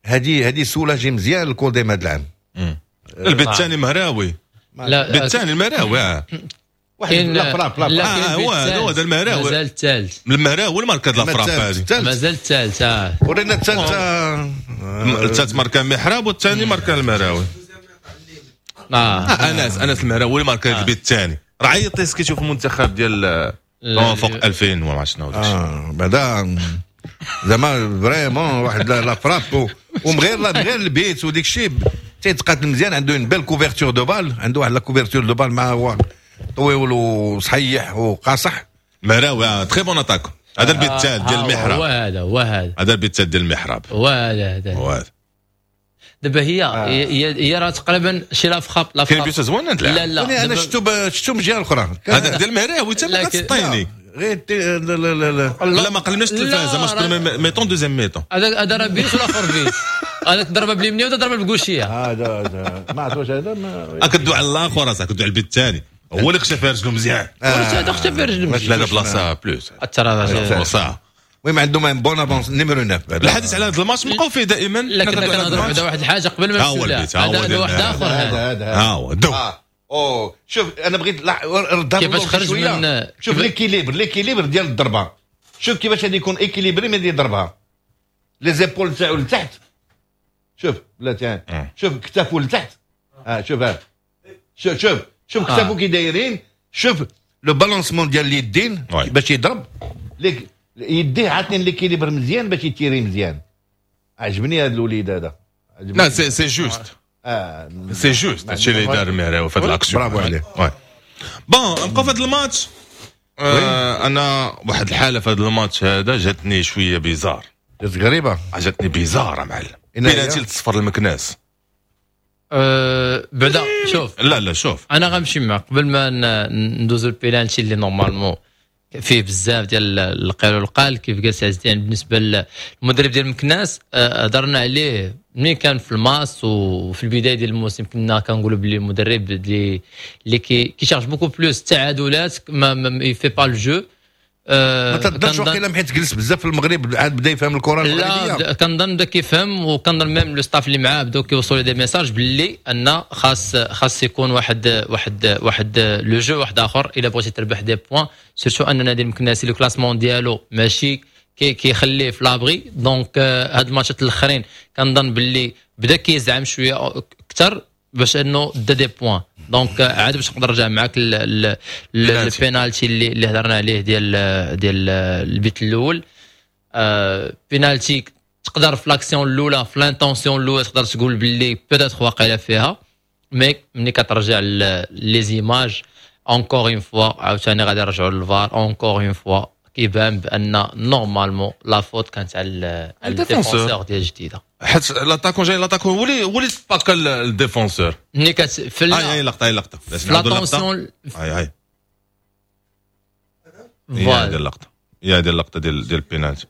هذه هذه soulager مزيان الكوديم هذا العام. البيت الثاني مهراوي. لا البيت الثاني المهراوي واحد la frappe la آه هو هو هذا المهراوي مازال الثالث. المهراوي الماركة la frappe هذه مازال الثالث. اه ورينا الثالث. الثالث ماركا محراب والثاني ماركا المهراوي. اه, آه انس انس المهراوي ماركا البيت الثاني. راه عيط لي كيشوف المنتخب ديال فوق ألفين وما عرفت شنو. اه بعدا زعما vraiment واحد la frappe ومغير لا غير البيت وديك الشيء تيتقاتل مزيان. عنده une belle couverture de balle، عنده واحد la couverture de balle مع هو طويل وصحيح وقاصح. مهراوي très bon attaquant. هذا البيت الثالث ديال المحراب. هو هذا هو هذا هذا البيت الثالث ديال المحراب هو هذا هذا. دابا هي هي هي راه تقريبا شي la frappe la frappe كاين بيت زوين. لا لا انا شفتو شفتو من الجهة الاخرى هذا ديال المهراوي تما كتسطيني غير لا لا لا لا ما قلناش التلفازه ماتش mi-temps deuxième mi-temps. هذا هذا راه بيت والاخر بيت، هذاك ضربه باليمنيه وهذا ضربه بال gauche. هذا هذا ما عرفت واش هذا ما كدوي على الاخر اصاحبي، كدوي على البيت الثاني هو اللي خشى فيها رجلو مزيان. هذا خشى فيها رجلو مزيان. لا لا بلاصة plus ترى المهم عندهم un bon avant numéro تسعة. الحديث على هذا الماتش بقاو فيه دائما. لا كنا كنهضروا بعدا واحد الحاجة قبل ما نمشيو لها. هذا واحد اخر هذا ها هو دو. او شوف انا بغيت ردها كيفاش خرج من شوف l'équilibre l'équilibre ديال الضربة، شوف كيفاش غادي يكون équilibré ملي يضربها les épaules تاعو لتحت، شوف بلاتي شوف كتافو لتحت، اه شوف ها شوف شوف شوف كتافو كي دايرين، شوف le balancement ديال اليدين باش يضرب ليك يديه عاطين l'équilibre مزيان باش يتيري مزيان. عجبني هذا الوليد هذا. لا c'est c'est juste اه c'est juste هادشي اللي دار المهراوي في هاد l'action. برافو عليه. bon نبقاو في هاد الماتش. آه انا واحد الحالة في هاد الماتش هذا جاتني شوية bizarre، جات غريبة، جاتني bizarre معلم. بينالتي لتصفر المكناس. أه بعدا شوف لا لا شوف انا غنمشي معك قبل ما ندوزو البيلانتي اللي normalement فيه بزاف ديال القيل والقال كيف قال سي عز الدين. بالنسبة للمدرب ديال مكناس هضرنا عليه ملي كان في الماس وفي البداية ديال الموسم، كنا كنقولوا بلي المدرب اللي اللي كي cherche beaucoup plus التعادلات ما il fait pas le jeu. ما تقدرش واقيلا حيت جلس بزاف في المغرب عاد بدا يفهم الكره المغربية. لا كنظن بدا كيفهم، وكنظن même le staff اللي معاه بداو كيوصلوا des messages باللي ان خاص خاص يكون واحد واحد واحد le jeu واحد اخر الا بغيتي تربح des points، surtout ان نادي المكناسي le classement ديالو ماشي كي كيخليه في l'abri. donc هاد الماتشات الاخرين كنظن باللي بدا كيزعم شوية اكثر باش انه دا des points. donc عاد باش نقدر نرجع معاك البينالتي اللي اللي هضرنا عليه ديال ديال البيت الاول. آه بينالتي تقدر في l'action الاولى في l'intention الاولى تقدر تقول باللي peut-être واقيلا فيها، mais ملي كترجع les images encore une fois عاوتاني غادي نرجعوا لل VAR encore une fois كيبان بان normalement la faute كانت على ال défenseur ديال الجديدة، حيت l'attaquant جاي l'attaquant هو اللي هو اللي سباكا ال défenseur ملي كت في هاي هاي اللقطة هاي اللقطة l'attention هاي هاي هي هذه اللقطة هي هذه اللقطة ديال ديال البينالتي.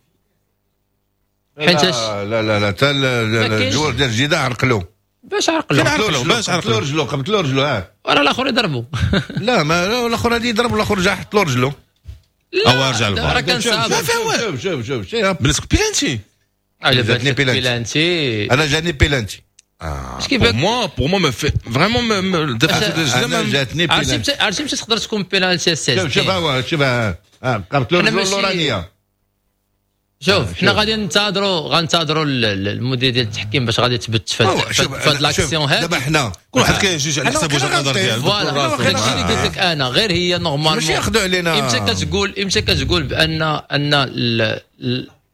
حيت لا لا لا حتى ال joueur ديال الجديدة عرقلو باش عرقلو باش عرقلو رجلو قبطلو رجلو اه وراه الاخر يضربو. لا ما الاخر غادي يضرب والاخر جا حط له رجلو او رجع الفار. راه كان صعب. شوف شوف شوف شوف بالنسبة بيلانتي جاتني بيلانتي انا جاني بيلانتي. pour moi pour moi mais vraiment انا جاتني بيلانتي. عرفتي مشي تقدر تكون بيلانتي السادس. شوف شوف هو شوف قبطلو رجلو اللورانيه. شوف حنا غادي ننتظروا غنتظروا المدير ديال التحكيم باش غادي تثبت في هاد l'action هاد. دابا حنا كل واحد كيجوج على حساب وجهه النظر ديالو. voilà داكشي اللي قلت لك انا، غير هي normalement ماشي ياخذوا علينا. امتى كتقول امتى كتقول بان ان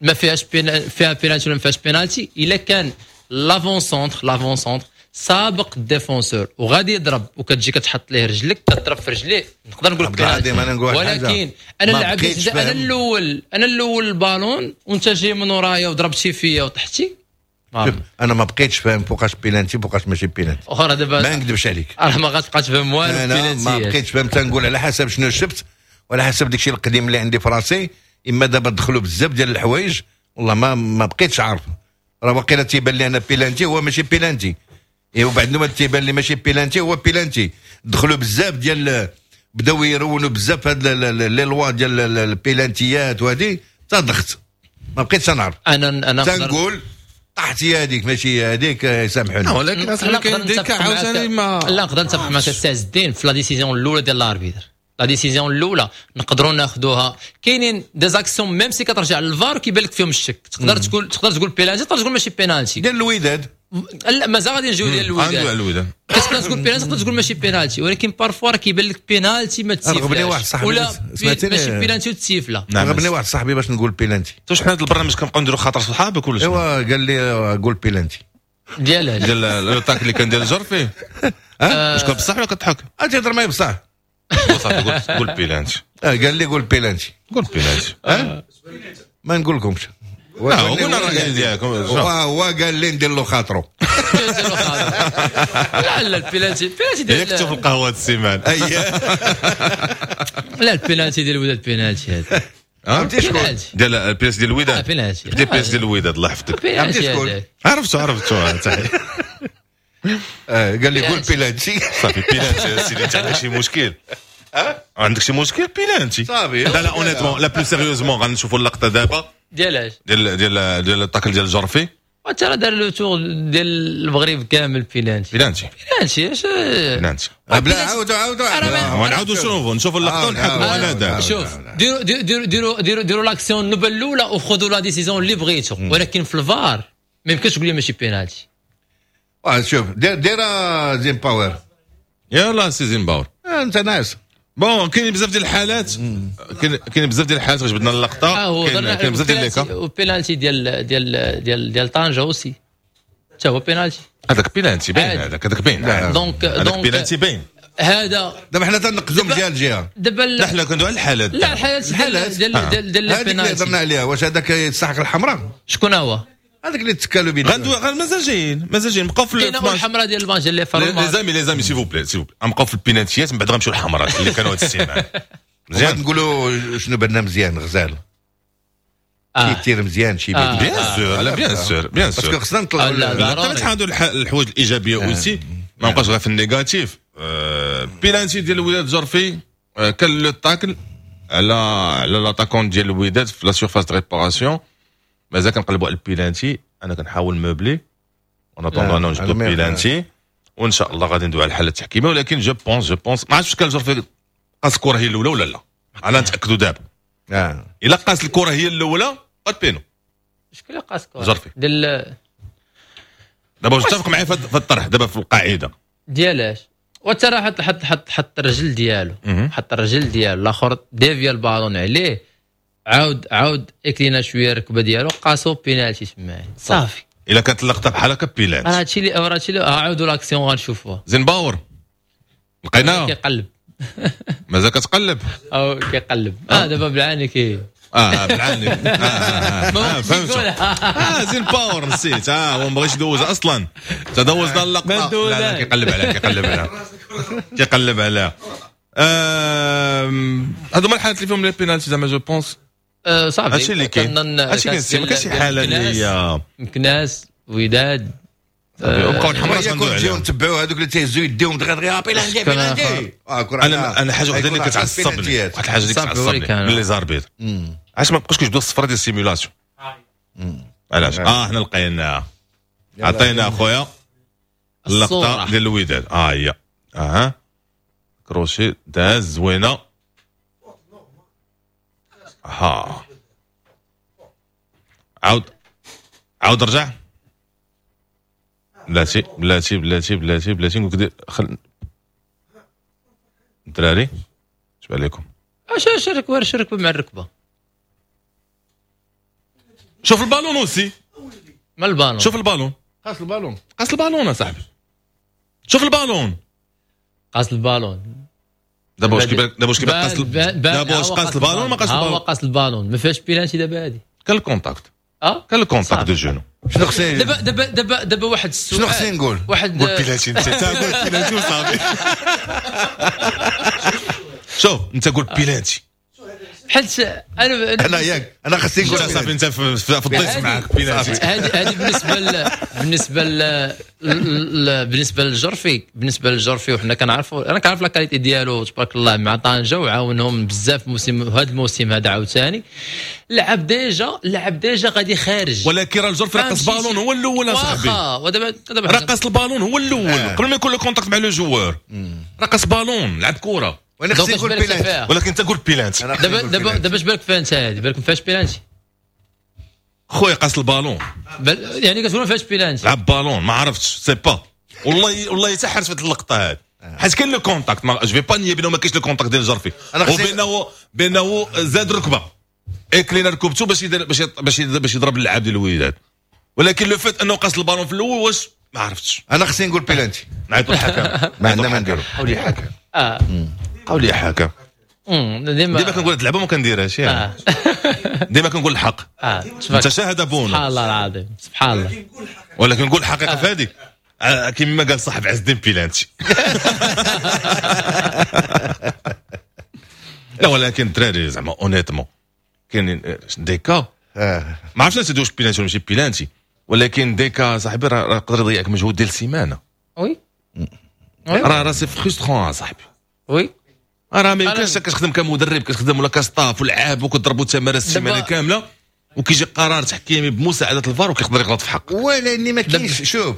ما فيهاش فيها بينالتي ولا ما فيهاش بينالتي؟ الا كان l'avant-centre l'avant-centre سابق ال défenseur وغادي يضرب وكتجي كتحط ليه رجلك كتضرب في رجليه نقدر نقول لك ولكن انا لعبت انا الاول انا الاول البالون وانت جاي من ورايا وضربتي فيا وطحتي. شوف انا ما بقيتش فاهم فوقاش بيلانتي فوقاش ماشي بيلانتي. اخرى دابا ما نكذبش عليك راه ما غاتبقى تفهم والو. انا ما بقيتش فاهم، تنقول على حسب شنو شفت وعلى حسب داكشي القديم اللي عندي في راسي. اما دابا دخلوا بزاف ديال الحوايج والله ما ما بقيتش عارف. راه واقيلا تيبان لي انا بيلانتي هو ماشي بيلانتي، ايوا بعد ما تيبان لي ماشي بيلانتي هو بيلانتي. دخلوا بزاف ديال بداو يرونوا بزاف هاد les lois ديال البيلانتيات وهادي تضغط ما بقيتش نعرف. انا انا تنقول طاحت هي هذيك ماشي هذيك يسامحوني. ولكن اصلا كاين ديك عاوتاني ما لا نقدر نتفق معك السي عز الدين في la décision الاولى ديال l'arbitre. la décision الاولى نقدروا ناخذوها. كاينين des actions même si كترجع للفار كيبان لك فيهم الشك، تقدر تقول تقدر تقول بيلانتي تقدر تقول ماشي بينالتي ديال الوداد. لا مازال غادي نجيو ديال الوداد. الوداد كتقدر تقول بينالتي تقدر تقول ماشي بينالتي، ولكن parfois راه كيبان لك بينالتي ما تسيفلاش واحد صاحبي ولا ماشي بينالتي وتسيفلا. غبني واحد صاحبي باش نقول بينالتي. واش حنا هذا البرنامج كنبقاو نديرو خاطر صحابك ولا شنو؟ ايوا قال لي قول بينالتي ديال ديال l'attaque اللي كان ديال الجرفي. واش كان بصح ولا كتضحك؟ تيهضر معايا بصح. صافي قول قول بيلانتي. اه قال لي قول بيلانتي. قول بيلانتي. اه ما نقول لكمش. لا قلنا الراي ديالك. هو قال لي ندير له خاطرو. لا لا البيلانتي البيلانتي ديال يكتب في القهوة السيمان. لا البيلانتي ديال الوداد بيلانتي هذا. عرفتي شكون؟ ديال البيلانتي ديال الوداد. بيلانتي ديال البيلانتي ديال الوداد الله يحفظك. عرفتي شكون؟ عرفتو عرفتو. قال لي قول بيلانتي. صافي بيلانتي سيدي، انت عندك شي مشكل؟ عندك شي مشكل بيلانتي صافي. لا لا honnêtement لا plus sérieusement غنشوفوا اللقطة دابا ديال اش؟ ديال ديال ديال ال tacle ديال الجرفي. وانت راه دار le tour ديال المغرب كامل بيلانتي. بيلانتي بيلانتي اش بيلانتي. بلا عاودوا عاودوا نعاودوا نشوفوا نشوفوا اللقطة ونحكموا انا دابا. شوف ديروا ديروا ديروا ديروا ديروا l'action النوبة الاولى وخذوا la décision اللي بغيتو، ولكن في الفار ما يمكنش تقول لي ماشي بينالتي. شوف دير دير زين باور. يلا سي زين باور انت ناس. bon كاين بزاف ديال الحالات، كاين كاين بزاف ديال الحالات جبدنا اللقطة. كاين كاين بزاف ديال les cas. وبينالتي ديال ديال ديال ديال طنجه aussi حتى هو بينالتي. هذاك بينالتي باين، هذاك هذاك باين. donc donc بينالتي باين هذا. دابا حنا تنقزوا من جهة لجهة. دابا لا حنا كندوي على الحالات. لا الحالات ديال ديال ديال هذيك اللي هضرنا عليها. واش هذاك يستحق الحمراء؟ شكون هو؟ هذاك اللي تكالو بينا. غندوي مازال جايين مازال جايين نبقاو في الحمراء ديال الماتش اللي les amis les amis s'il vous plaît s'il vous plaît نبقاو في البينالتيات من بعد غنمشيو للحمراء اللي كانوا هاد السيمانة. مزيان نقولوا شنو بدنا مزيان غزال شي تير مزيان شي bien sûr. لا bien sûr bien sûr parce que خصنا نطلعوا نحاولوا الحوايج الايجابية aussi، ما نبقاش غير في ال négatif. بينالتي ديال الوداد جرفي كان le tacle على على l'attaquant ديال الوداد في la surface de réparation. مازال كنقلبوا على البيلانتي. انا كنحاول meubler en attendant انا نجبدو بيلانتي وان شاء الله غادي ندوي على الحالة التحكيميه. ولكن je pense je pense ما عرفتش كان الجرفي قاس الكره هي الاولى ولا لا. انا نتاكدوا دابا. اه الا قاس الكره هي الاولى قد بينو. شكون اللي قاس الكره؟ جرفي ديال دابا واش تتفق معايا في الطرح دابا في القاعدة ديالاش؟ وانت راه حط حط حط حط الرجل ديالو، حط الرجل ديالو الاخر dévia ال ballon عليه، عاود عاود inclina شوية الركبة ديالو قاسو بينالتي تما صافي. الا كانت اللقطة بحال هكا بيلانتي. راه هادشي اللي راه هادشي اللي عاودوا l'action غنشوفوها. زين باور لقيناها كيقلب. مازال كتقلب او كيقلب. اه دابا بالعاني كي اه بالعاني اه اه فهمت. اه زين باور نسيت. اه هو ما بغيش يدوز اصلا. تدوزنا اللقطة. لا لا كيقلب عليها كيقلب عليها كيقلب عليها. هادو هما الحالات اللي فيهم les pénaltys زعما je pense. صافي هادشي اللي كاين. هادشي كاين ما كاينش شي حاله اللي هي مكناس وداد بقاو الحمراء غندوي عليهم. نتبعوا هذوك اللي تيهزوا يديهم دغيا دغيا بيلانتي بيلانتي. انا انا حاجة وحده اللي كتعصبني، واحد الحاجة اللي كتعصبني من les arbitres، علاش ما بقاوش كيجبدوا الصفرة ديال ال simulation؟ علاش؟ اه حنا لقينا عطينا اخويا اللقطة ديال الوداد. اه هي اه كروشي داز زوينة. ها عاود عاود رجع. بلاتي بلاتي بلاتي بلاتي بلاتي نقول لك خل الدراري اش عليكم. اش اش ركبه ركبه مع الركبة. شوف ال ballon aussi. ما البالون؟ شوف البالون. قاس البالون. قاس البالون اصاحبي. شوف البالون. قاس البالون. دابا واش كيبان دابا واش كيبان قاس دابا واش قاس البالون ما قاس البالون؟ هو قاس البالون ما فيهاش بيلانتي دابا هادي. كان ال contact. اه كان ال contact de genou. شنو خصني دابا دابا دابا دابا واحد السؤال. شنو خصني نقول؟ واحد قول بيلانتي انت قول بيلانتي وصافي. شوف انت قول بيلانتي حيت انا انا ياك انا خصني نقول صافي انت في الضيف معاك بيلانتي. هذه هذه بالنسبة ل... بالنسبة ل... بالنسبة للجرفي بالنسبة للجرفي وحنا كنعرفوا انا كنعرف la qualité ديالو تبارك الله مع طنجه وعاونهم بزاف موسم هذا الموسم هذا عاوتاني لعب déjà لعب déjà غادي خارج، ولكن راه الجرفي رقص بالون هو الاول اصاحبي. ودابا دابا رقص البالون هو الاول آه. قبل ما يكون le contact مع le joueur رقص بالون لعب كره. وانا خصني نقول بيلانتي، ولكن انت قول بيلانتي. دابا دابا دابا اش بالك فيها انت هادي؟ بالك ما فيهاش بيلانتي خويا؟ قاس البالون بل يعني كتقول ما فيهاش بيلانتي. لعب بالون ما عرفتش sais pas والله والله حتى حرت في هذه اللقطة هذه حيت كاين le contact. ما je vais pas nier بينه ما كاينش le contact ديال الجرفي وبينه بينه زاد ركبه inclina ركبته باش يدير باش باش باش يضرب اللعاب ديال الوداد، ولكن le fait انه قاس البالون في الاول واش ما عرفتش. انا خصني نقول بيلانتي. نعيطوا الحكم. ما عندنا ما نديرو. حولي الحكم. اه قول لي حكم. ديما ديما كنقول هاد اللعبة ما كنديرهاش يعني ديما كنقول الحق. اه انت شاهد بونو، سبحان الله العظيم، سبحان الله. ولكن نقول الحقيقة في هذيك كيما قال صاحب عز الدين بيلانتي. لا ولكن الدراري زعما honnêtement كاينين des cas ما عرفتش واش بيلانتي ولا ماشي بيلانتي، ولكن des cas صاحبي راه يقدر يضيعك مجهود ديال سيمانه. oui راه راه c'est frustrant صاحبي. oui راه ما يمكنش كتخدم كمدرب، كتخدم ولا ك staff ولعاب وكتضربوا تمارين السيمانة كاملة وكيجي قرار تحكيمي بمساعدة الفار وكيقدر يغلط في حقك. ولكن ما كاينش، شوف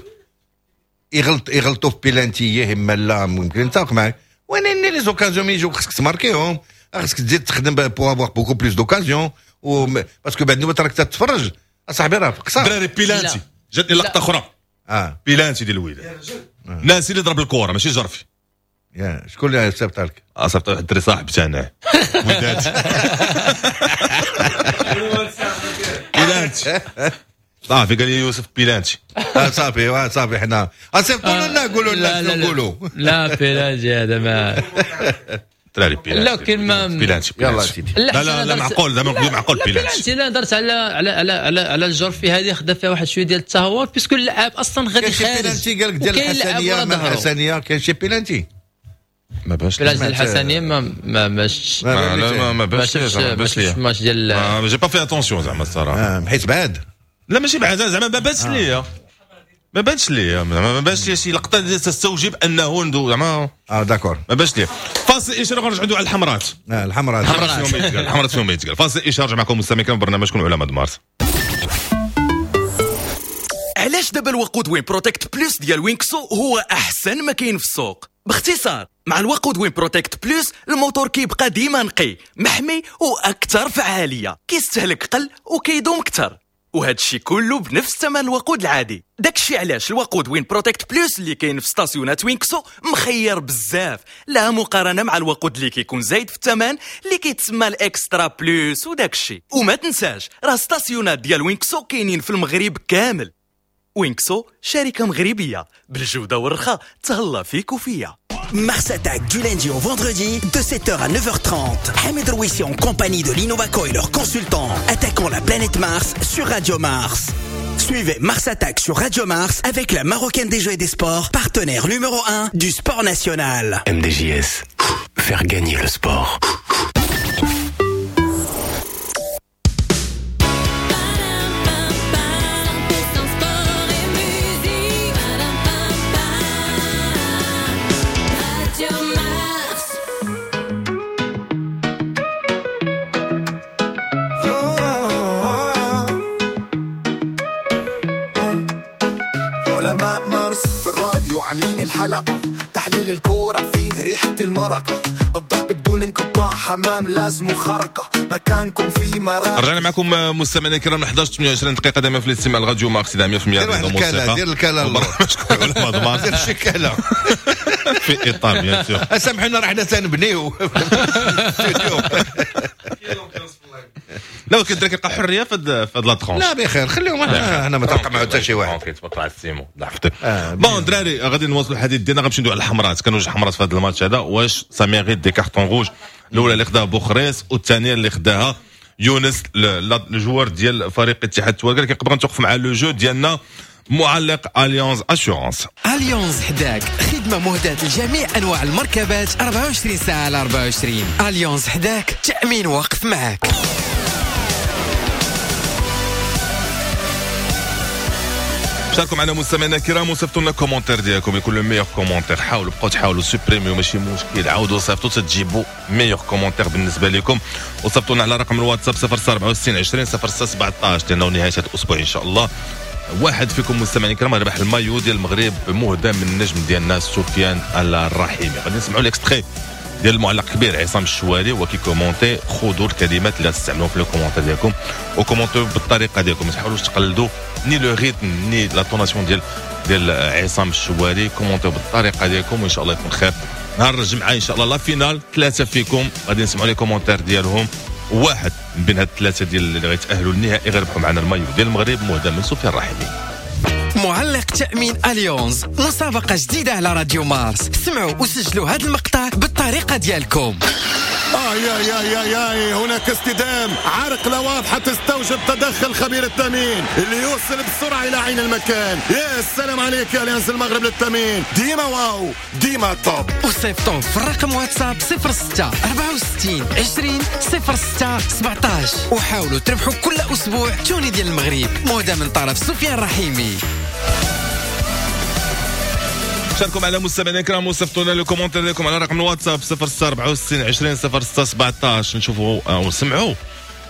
يغلط يغلطوا في بيلانتي اما لا ممكن نتفق معاك، ولكن les occasions يجيو خصك تماركيهم، خصك تزيد تخدم pour avoir beaucoup plus d'occasions، parce que بعد نوبه راك تتفرج اصاحبي راه قصار. دراري بيلانتي جاتني لقطة اخرى. اه بيلانتي ديال الوداد، ناسي اللي ضرب الكره ماشي جرفي. يا شكون اللي صيفط لك؟ اه صيفط واحد الدري صاحب تاعنا وداد. بيلانتي صافي قال لي يوسف بيلانتي. صافي صافي حنا صيفطوا لنا قولوا لنا شنو نقولوا. لا بيلانتي هذا ما دراري بيلانتي. لا كاين ما بيلانتي. يلا سيدي. لا لا لا معقول زعما معقول بيلانتي. لا هضرت على على على على على الجرفي هذه خدا فيها واحد شوية ديال التهور parce que اللاعب اصلا غادي خارج. بيلانتي قال لك ديال الحسنيه، ما الحسنيه كاين شي بيلانتي ما باش. بيلانتي الحسنيه ما ما ماش ما ما باش ما باش ماتش ديال j'ai pas fait attention زعما الصراحة، حيت بعاد. لا ماشي بعاد زعما ما بانش ليا، ما بانش ليا ما بانش ليا شي لقطة اللي تستوجب انه ندو زعما. اه d'accord ما بانش ليا. فاصل اشارة غنرجعوا ندوي على الحمرات. اه الحمرات الحمرات فيهم يتقال، الحمرات فيهم يتقال. فاصل اشارة معكم مستمعين كان برنامجكم علماء مارس. علاش دابا الوقود وين بروتكت بلوس ديال وينكسو هو احسن ما كاين في السوق؟ باختصار مع الوقود وين بروتكت بلوس الموتور كيبقى ديما نقي محمي واكثر فعالية، كيستهلك قل وكيدوم اكثر، وهذا الشيء كله بنفس ثمن الوقود العادي. داكشي علاش الوقود وين بروتكت بلوس اللي كاين في ستاسيونات وينكسو مخير بزاف، لا مقارنة مع الوقود اللي كيكون زايد في الثمن اللي كيتسمى ال extra plus وداكشي. وما تنساش راه ستاسيونات ديال وينكسو كاينين في المغرب كامل. وينكسو شركة مغربية بالجودة والرخاء، تهلا فيك وفيا. Mars Attack du lundi au vendredi de sept heures à neuf heures trente. Hamid Rouissi en compagnie de l'Innovaco et leurs consultants attaquant la planète Mars sur Radio Mars. Suivez Mars Attack sur Radio Mars avec la Marocaine des Jeux et des Sports, partenaire numéro un du sport national. M D J S, faire gagner le sport. الحلقة تحليل الكورة فيه ريحة المرقة، الضرب بدون انقطاع، حمام لازم خرقة، مكانكم في مراكش. رجعنا معكم مستمعينا الكرام احد عشر ثمانية وعشرين دقيقة دائما في الاستماع لراديو مارس مية بالمية. دير دير الكلام برنامجكم دير شي كلام في اطار bien sûr. سامحونا راه حنا تنبنيو لا ولكن الدراري كيلقى حرية في هاد la tranche. لا بخير خليهم، انا ما تلقى معاه حتى شي واحد. okay تبارك الله على السيمو ضعفتك. bon دراري غادي نواصلوا الحديث ديالنا، غنمشيو ندوي على الحمرات. كانوا جوج حمرات في هذا الماتش هذا، واش ça mérite des cartons rouges؟ الاولى اللي خداها بوخريس والثانية اللي خداها يونس le joueur ديال فريق اتحاد تواركة. لكن قبل نتوقف مع le jeu ديالنا معلق اليونز assurances. اليونز حداك، خدمة مهداة لجميع انواع المركبات أربعة وعشرين ساعة على أربعة وعشرين. اليونز حداك، تامين واقف معاك. شاركوا معنا مستمعينا الكرام وصيفطوا لنا commentaire ديالكم، يكون le meilleur commentaire. حاولوا بقاو تحاولوا سوبريميو ماشي مشكل، عاودوا صيفطوا تجيبوا meilleur commentaire بالنسبة لكم. وصيفطوا لنا على رقم الواتساب صفر أربعة وستين عشرين صفر ستة سبعطاش، لانه نهاية هذا الاسبوع ان شاء الله واحد فيكم مستمعين الكرام ربح المايو ديال المغرب مهدى من النجم ديالنا سفيان الرحيمي. غادي نسمعوا l'extrait ديال المعلق الكبير عصام الشوالي هو كي commenter. خذوا الكلمات اللي تستعملوهم في les commentaires ديالكم وكومونتيو بالطريقة ديالكم، ما تحاولوش تقلدوا ni le rythme ni l'intonation ديال ديال عصام الشوالي. كومونتيو بالطريقة ديالكم وان شاء الله يكون خير. نهار الجمعة ان شاء الله la finale، ثلاثة فيكم غادي نسمعوا les commentaires ديالهم، واحد من بين هاد الثلاثة ديال اللي غيتاهلوا للنهائي غيربحوا معنا المايو ديال المغرب مهدى من سفيان الرحيمي. معلق تأمين أليونز، مسابقة جديدة على راديو مارس. سمعوا وسجلوا هذا المقطع بالطريقة ديالكم. آه يا يا يا يا هناك اصطدام، عرقلة واضحة تستوجب تدخل خبير التأمين اللي يوصل بسرعة إلى عين المكان. يا سلام عليك يا أليانز المغرب للتأمين، ديما واو ديما top. وصيفطوا في الرقم واتساب صفر ستة أربعة وستين عشرين صفر ستة سبعطاش وحاولوا تربحوا كل أسبوع tenue ديال المغرب مهدى من طرف سفيان رحيمي. شاركوا معنا مستمعينا الكرام وصيفطوا لنا les commentaires ديالكم على رقم الواتساب صفر ستة أربعة وستين عشرين صفر ستة سبعطاش. نشوفوا ونسمعوا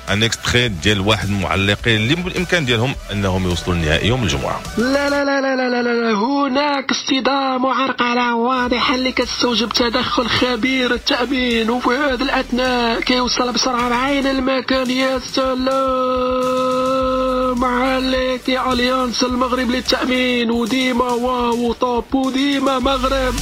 un extrait ديال واحد المعلقين اللي بالامكان ديالهم انهم يوصلوا للنهائي يوم الجمعة. لا لا لا لا لا لا، هناك اصطدام وعرقله واضحة اللي كتستوجب تدخل خبير التامين، وفي هذا الاثناء كيوصل بسرعة لعين المكان. يا سلام عليك يا اليانس المغرب للتامين، وديما واو top وديما مغرب.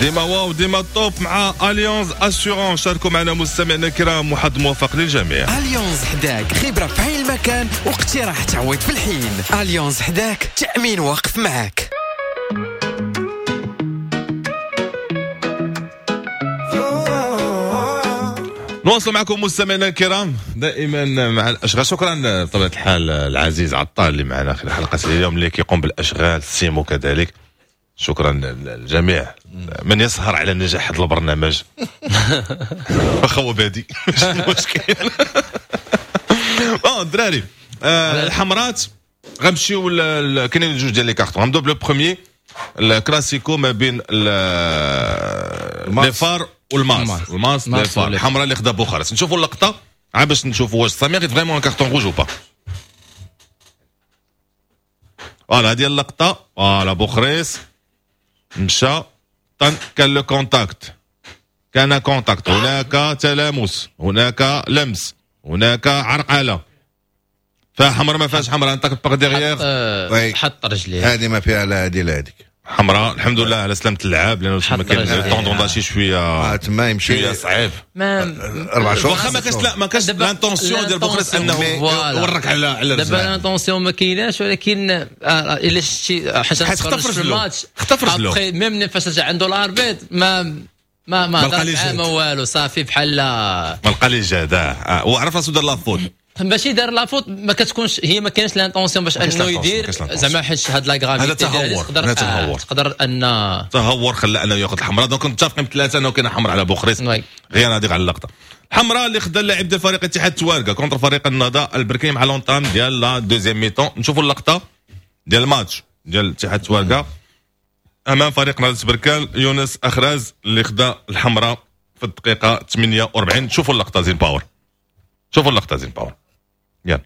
ديما واو ديما top مع اليونز assurances. شاركوا معنا مستمعينا الكرام وحظ موفق للجميع. اليونز حداك، خبره في عين المكان واقتراح تعويض في الحين. اليونز حداك، تامين واقف معاك. نواصل معكم مستمعينا الكرام دائما مع الاشغال. شكرا بطبيعة الحال العزيز عطال اللي معنا خلال حلقة اليوم اللي كيقوم بالاشغال، سيمو كذلك. شكرا للجميع من يسهر على نجاح هذا البرنامج. واخا هو بادي ماشي مشكل. bon الدراري الحمرات غنمشيو، كاينين جوج ديال les cartons. غنبداو ب le premier الكلاسيكو ما بين les FAR والماس. الماس les FAR الحمراء اللي خدا بوخارست. نشوفوا اللقطة عا باش نشوفوا واش ça mérite vraiment carton rouge ou pas. voilà هذه اللقطة. voilà بوخريس مشى طن، كان le contact، كان contact، هناك تلامس، هناك لمس، هناك عرقله. فحمراء ما فيهاش حمراء، انت par derrière حط رجليه، هذه ما فيها لا هذه لا هذيك حمراء. الحمد لله على سلامه اللاعب لانه تما كاين tendon d'Achille شوية تما يمشي شوية صعيب. اربع شهور واخا ما كاش، لا ما كاش l'intention ديال بوخريس انه ورك على على دابا l'intention ما كايناش، ولكن الا شتي حيت خطف رجلو، خطف رجلو même فاش رجع عنده l'arbitre ما ما ما هضر ما والو، صافي بحال ما لقى لي جهد وعرف راسو دار la faute. ماشي دار la faute، ما كتكونش هي ما كاينش l'intention باش انه يدير زعما، حيت هاد la gravité هذا تهور، تقدر تهور. تقدر ان تهور خلى انه ياخذ الحمراء. donc متفقين بثلاثة انه كاين حمراء على بوخريس، غير هذيك على اللقطة. الحمراء اللي خدا اللاعب ديال فريق اتحاد تواركه contre فريق النهضة البركاني مع l'entame ديال la deuxième mi-temps. نشوفوا اللقطة ديال الماتش ديال اتحاد تواركه امام فريق نهضة بركان، يونس اخراز اللي خدا الحمراء في الدقيقة ثمانية وأربعين. شوفوا اللقطة زين باور، شوفوا اللقطة زين باور، يلا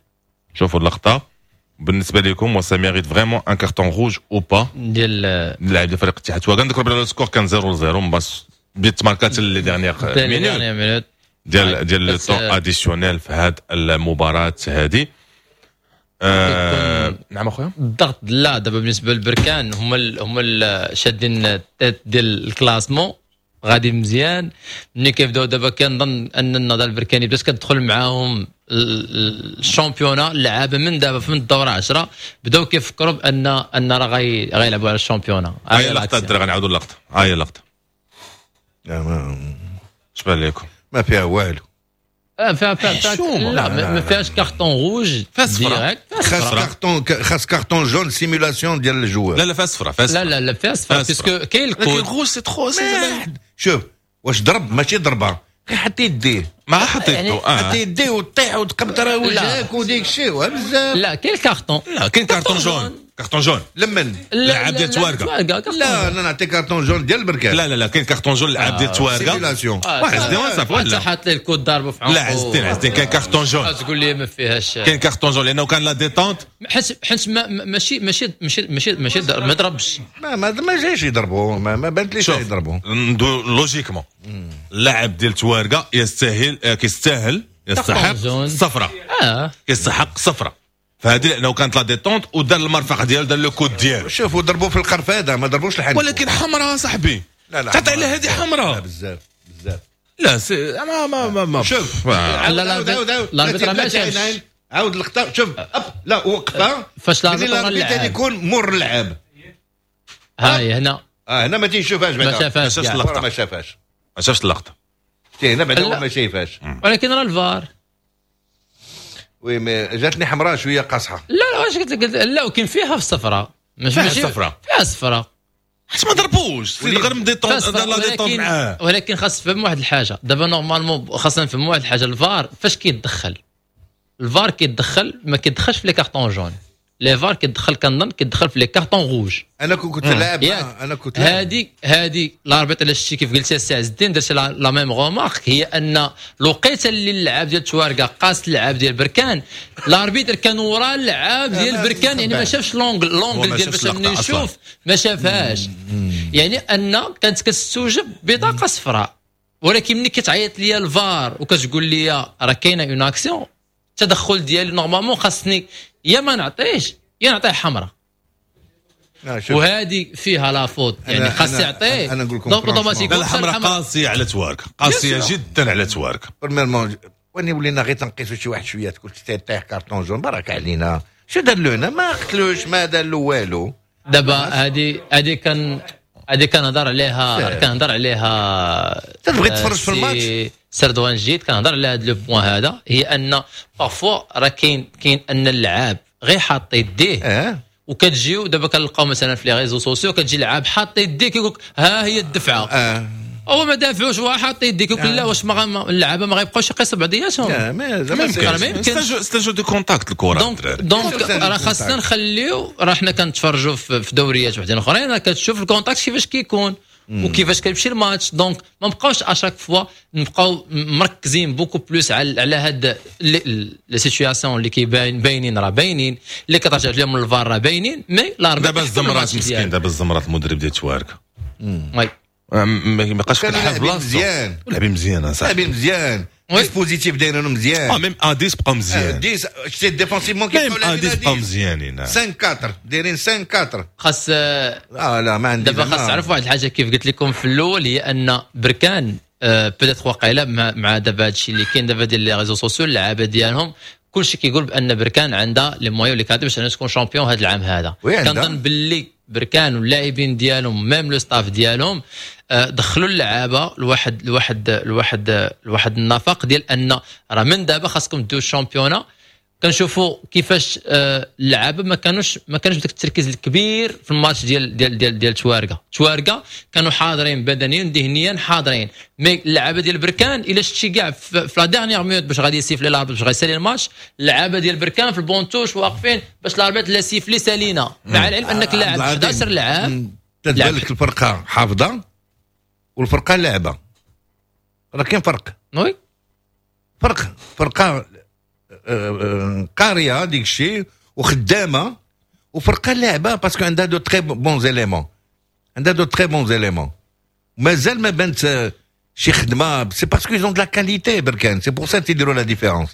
شوفوا اللقطة. بالنسبة لكم واش mérite vraiment un carton rouge ou pas ديال اللاعب ديال فريق الاتحاد تواركه؟ نذكر بلي ال score كان صفر صفر بس بيت ماركات les dernières minutes ديال ديال le temps additionnel في هذه المباراة هذه. آه نعم اخويا الضغط لا دابا بالنسبة للبركان هما ال هما ال شادين ال tête ديال ال classement غادي مزيان. ملي كيبداو دابا كنظن ان النهضة البركاني بدات كتدخل معاهم ال championnat، اللعابه من دابا من الدورة عشرة بداو كيفكروا بان ان راه غيلعبوا على ال championnat. هاي اللقطة الدراري غنعاودوا اللقطة، هاي اللقطة اش بان لكم؟ ما فيها والو، فيها فيها لا ما فيهاش carton rouge direct، خاص كارطون، خاص carton jaune simulation ديال ال joueur. لا لا فيها صفرا، فيها لا لا لا فيها صفرا parce que كاين ال coude rouge c'est trop. شوف واش ضرب ماشي ضربه، غير حط يديه ما حط يدو، حط يديه وطيح وتقبط راه وجهك وديك الشيء بزاف. لا كاين الكارطون، لا كاين carton jaune، carton jaune لمن؟ اللاعب ديال تواركه. لا انا نعطي carton jaune ديال البركان. لا لا لا كاين carton jaune اللاعب ديال تواركه simulation. واحد صافي ولا حتى حط ليه ال coude ضربه في عنقه. لا عزتين عزتين كاين carton jaune، تقول لي ما فيهاش. كاين carton jaune لانه كان la détente، حيت حيت ماشي ماشي ماشي ماشي ماشي ما ضربش، ما ما ما جايش يضربوا، ما, ما بانتليش يضربوا. logiquement اللاعب ديال تواركه يستاهل، كيستاهل يستحق صفرة، كيستحق صفرة فهذه لانه كانت la détente ودار المرفق ديالو، دار le coude ديالو. شوفوا ضربوا في القرفاده ما ضربوش الحنك، ولكن حمراء صاحبي. لا لا تعطي على هذه حمراء بزاف بزاف. لا c'est ما ما ما, ما. شوف لا لا لا ما شافش. عاود اللقطة، شوف hop لا وقفه فاش l'arbitre ورا اللعاب يكون مور اللعاب. هاي هنا اه هنا ما تيشوفهاش بعدا، ما شافهاش اللقطة، ما شافهاش ما شافش اللقطة هنا بعدا هو ما شايفهاش، ولكن راه الفار oui mais جاتني حمراء شوية قاصحة. لا لا واش قلت لك، لا وكاين فيها في الصفراء، ماشي فيها الصفراء، فيها الصفراء حيت ما ضربوش سيد غير détente la détente معاه. ولكن خاص تفهم واحد الحاجة دابا، normalement خاصنا نفهم واحد الحاجة، الفار فاش كيتدخل، الفار كيتدخل ما كيتدخلش في les cartons jaunes، les VAR كيدخل كنظن كيدخل في les cartons rouges. انا كنت لاعب، انا كنت هادي هادي l'arbitre اللي شتي كيف قلتي السي عز الدين، درت la même remarque، هي ان الوقيته اللي اللعاب ديال تواركا قاس اللعاب ديال بركان، l'arbitre كان ورا اللعاب ديال بركان، يعني ما شافش l'angle l'angle ديال باش يشوف، ما شافهاش، يعني ان كانت كتستوجب بطاقة صفراء. ولكن ملي كتعيط ليا الفار وكتقول لي راه كاينه une action، التدخل ديالي normalement خاصني يا ما نعطيش يا نعطيه حمراء، وهذه فيها la faute، يعني خاص يعطيه. انا نقول لكم donc automatiquement الحمراء قاسية على توارك، قاسية جدا على توارك. premièrement واني ولينا غير تنقيسوا شي واحد شوية تقول تطيح carton jaune، برك علينا. شو دار له هنا؟ ما قتلوش، ما دار له والو. دابا هذه هذه كان هذه كنهضر عليها كنهضر عليها تبغي تفرج في الماتش سردوان جيت كنهضر على هذا le point هذا، هي ان parfois راه كاين كاين ان اللعاب غير حاط يديه اه؟ وكتجيو دابا كنلقاو مثلا في les réseaux sociaux كتجي لعاب حاط يديه كيقول لك ها هي الدفعة اه. هو ما دافعوش هو حاط يديه كيقول لا واش ما اللعابه ما غيبقاوش يقيسوا بعضياتهم. لا ما زعما ما يمكنش، c'est un jeu de contact الكره. donc donc راه خاصنا نخليو، راه حنا كنتفرجوا في دوريات وحدين اخرين راه كتشوف ال contact كيفاش كيكون وكيفاش كيمشي الماتش. donc ما نبقاوش à chaque fois نبقاو مركزين beaucoup plus على على هاد les situations اللي كيبان باينين، راه باينين اللي كترجع لهم الفار راه باينين، mais l'arbitre دابا الزمرات مسكين، دابا الزمرات المدرب ديال توارك oui ما بقاش كيلعب بلاصتو مزيان، لاعبين مزيان صاحبي، لاعبين مزيان، dispositif دايرينو مزيان، اه même à dix بقاو مزيان، dix شتي défensivement كيبقاو لاعبين à dix بقاو مزيانين، خمسة أربعة دايرين خمسة أربعة. خاص اه لا ما عندي دابا خاص تعرف واحد الحاجة كيف قلت لكم في الاول، هي ان بركان peut-être واقيلا مع, مع دابا هادشي اللي كاين دابا ديال les réseaux sociaux اللعابه ديالهم كلشي كيقول بان بركان عندها les moyens les qualités باش انها تكون champion هذا العام هذا. كنظن باللي بركان واللاعبين ديالهم même le staff ديالهم دخلوا اللعابه لواحد لواحد لواحد لواحد النفق ديال ان راه من دابا خاصكم ديروا ال championnat. كنشوفوا كيفاش اللعابه ما كانوش ما كانوش بداك التركيز الكبير في الماتش ديال ديال ديال ديال تواركه. تواركه كانوا حاضرين بدنيا ذهنيا حاضرين، mais اللعابه ديال بركان الا شتي كاع في la dernière minute باش غادي يسيفلي l'arbitre باش غيسالي الماتش، اللعابه ديال بركان في ال banc de touche واقفين باش l'arbitre لا siffler سالينا، مع العلم انك لاعب إحدى عشر لعاب. تتبان لك الفرقة حافظه والفرقة لاعبه، راه كاين فرق. oui فرق، فرقه قارية ديك الشيء وخدامه، وفرقه لاعبه parce que عندها de très bons éléments، عندها de très bons éléments. مازال ما بانت شي خدمة، c'est parce qu'ils ont de la qualité بركان، c'est pour ça تيديروا la différence.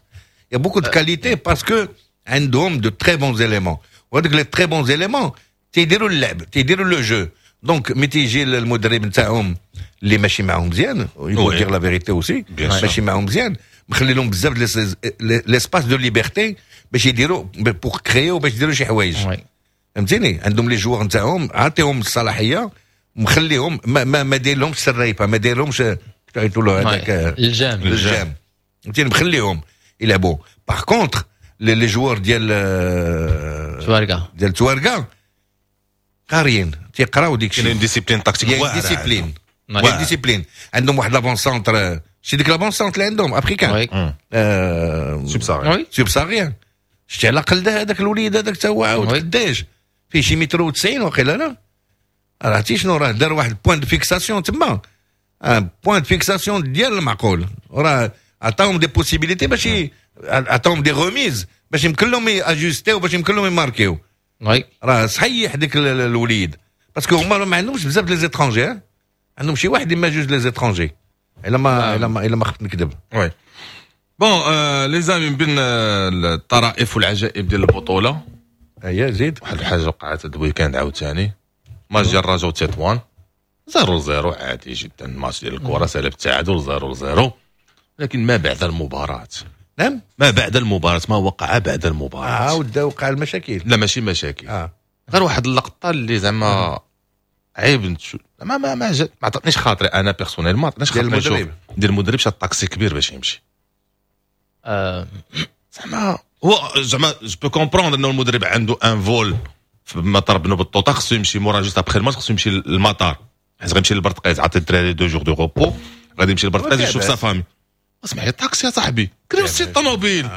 y a beaucoup de qualité parce que عندهم de très bons éléments، وهذوك les très bons éléments تيديروا اللعب، تيديروا le jeu. donc ملي تيجي المدرب نتاعهم اللي ماشي معاهم مزيان، il faut dire la vérité aussi، ماشي معاهم مزيان، مخلي لهم بزاف l'espace de liberté باش يديروا pour créer باش يديروا شي حوايج، فهمتيني؟ عندهم les joueurs نتاعهم عاطيهم الصلاحية، مخليهم ما ما, ما داير لهمش الريفه، ما داير لهمش تعيطوا له هذاك الجام الجام، فهمتيني؟ مخليهم يلعبوا. par contre les joueurs ديال تواركا ديال تواركا قاريين تيقراو ديك الشيء، كاين discipline tactique واعرة، discipline discipline عندهم واحد l'avant-centre، شي ديك l'avant-centre اللي عندهم africain subsaharien subsaharien، شتي على الاقل هذاك الوليد هذاك تا هو عاود قداش فيه شي متر وتسعين وقيلا، لا عرفتي شنو راه دار واحد point de fixation تما، point de fixation ديال المعقول، راه عطاهم des possibilités باش عطاهم des remises باش يمكن لهم ياجوستيو باش يمكن لهم يماركيو. oui راه صحيح ديك الوليد parce que هما ما عندهمش بزاف les étrangers، عندهم شي واحد اما جوج les étrangers الا ما الا ما الا ما خفت نكذب. oui bon les amis، بين الطرائف والعجائب ديال البطولة هيا زيد واحد الحاجة وقعت هذا ال week-end عاوتاني، ماتش ديال الرجاء وتطوان zéro zéro عادي جدا، ماتش ديال الكره سالب التعادل zéro zéro، لكن ما بعد المباراة نعم، ما بعد المباراة، ما وقع بعد المباراة. عاود وقع المشاكل؟ لا ماشي مشاكل، آه. غير واحد اللقطة اللي زعما عيب نتشو ما ما ما, ما عطاتنيش خاطري انا personnellement، ما عطاتنيش خاطري. ديال المدرب؟ ديال المدرب، شاد طاكسي كبير باش يمشي. آه. زعما هو زعما je peux comprendre انه المدرب عنده un vol في مطار بن بطوطه، خصو يمشي مورا juste après الماتش، خصو يمشي للمطار حيت غيمشي للبرتقيز، عطي الدراري deux jours de repos، غادي يمشي للبرتقيز يشوف sa famille. اسمح لي، طاكسي يا صاحبي، كريو سي الطوموبيل،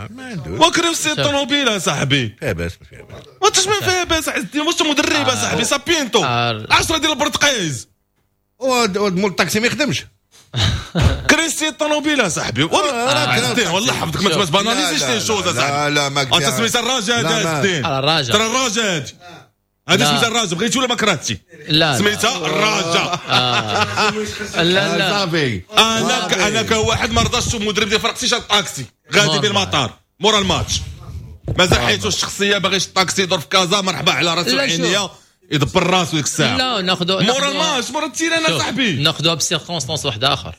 وكريو سي الطوموبيل يا صاحبي. فيها باس؟ ما فيها باس. ما انتش ما فيها باس عز الدين، واش مدرب يا صاحبي؟ سابينتو عشرة ديال البرتقيز. مول الطاكسي ما يخدمش. كريستي الطوموبيل يا صاحبي، عز الدين والله حفظك ما تباناليزيش les choses صاحبي. لا لا، ما انت سميت الرجاء هذا عز الدين. الرجاء، ترى الرجاء هذه سميتها الرجاء، بغيتي ولا ما كرهتي؟ لا، سميتها الرجاء. لا لا، صافي. انا انا كواحد ما رضاش المدرب ديال فرقتي شاد طاكسي غادي بالمطار مورا الماتش، مازال حيتو الشخصية باغي الطاكسي يدور في كازا، مرحبا على راسو وعينيا، يدبر راسو ديك الساعة. لا، ناخذ مورا الماتش، مورا ال terrain صاحبي. ناخذوها ب circonstances واحد اخر.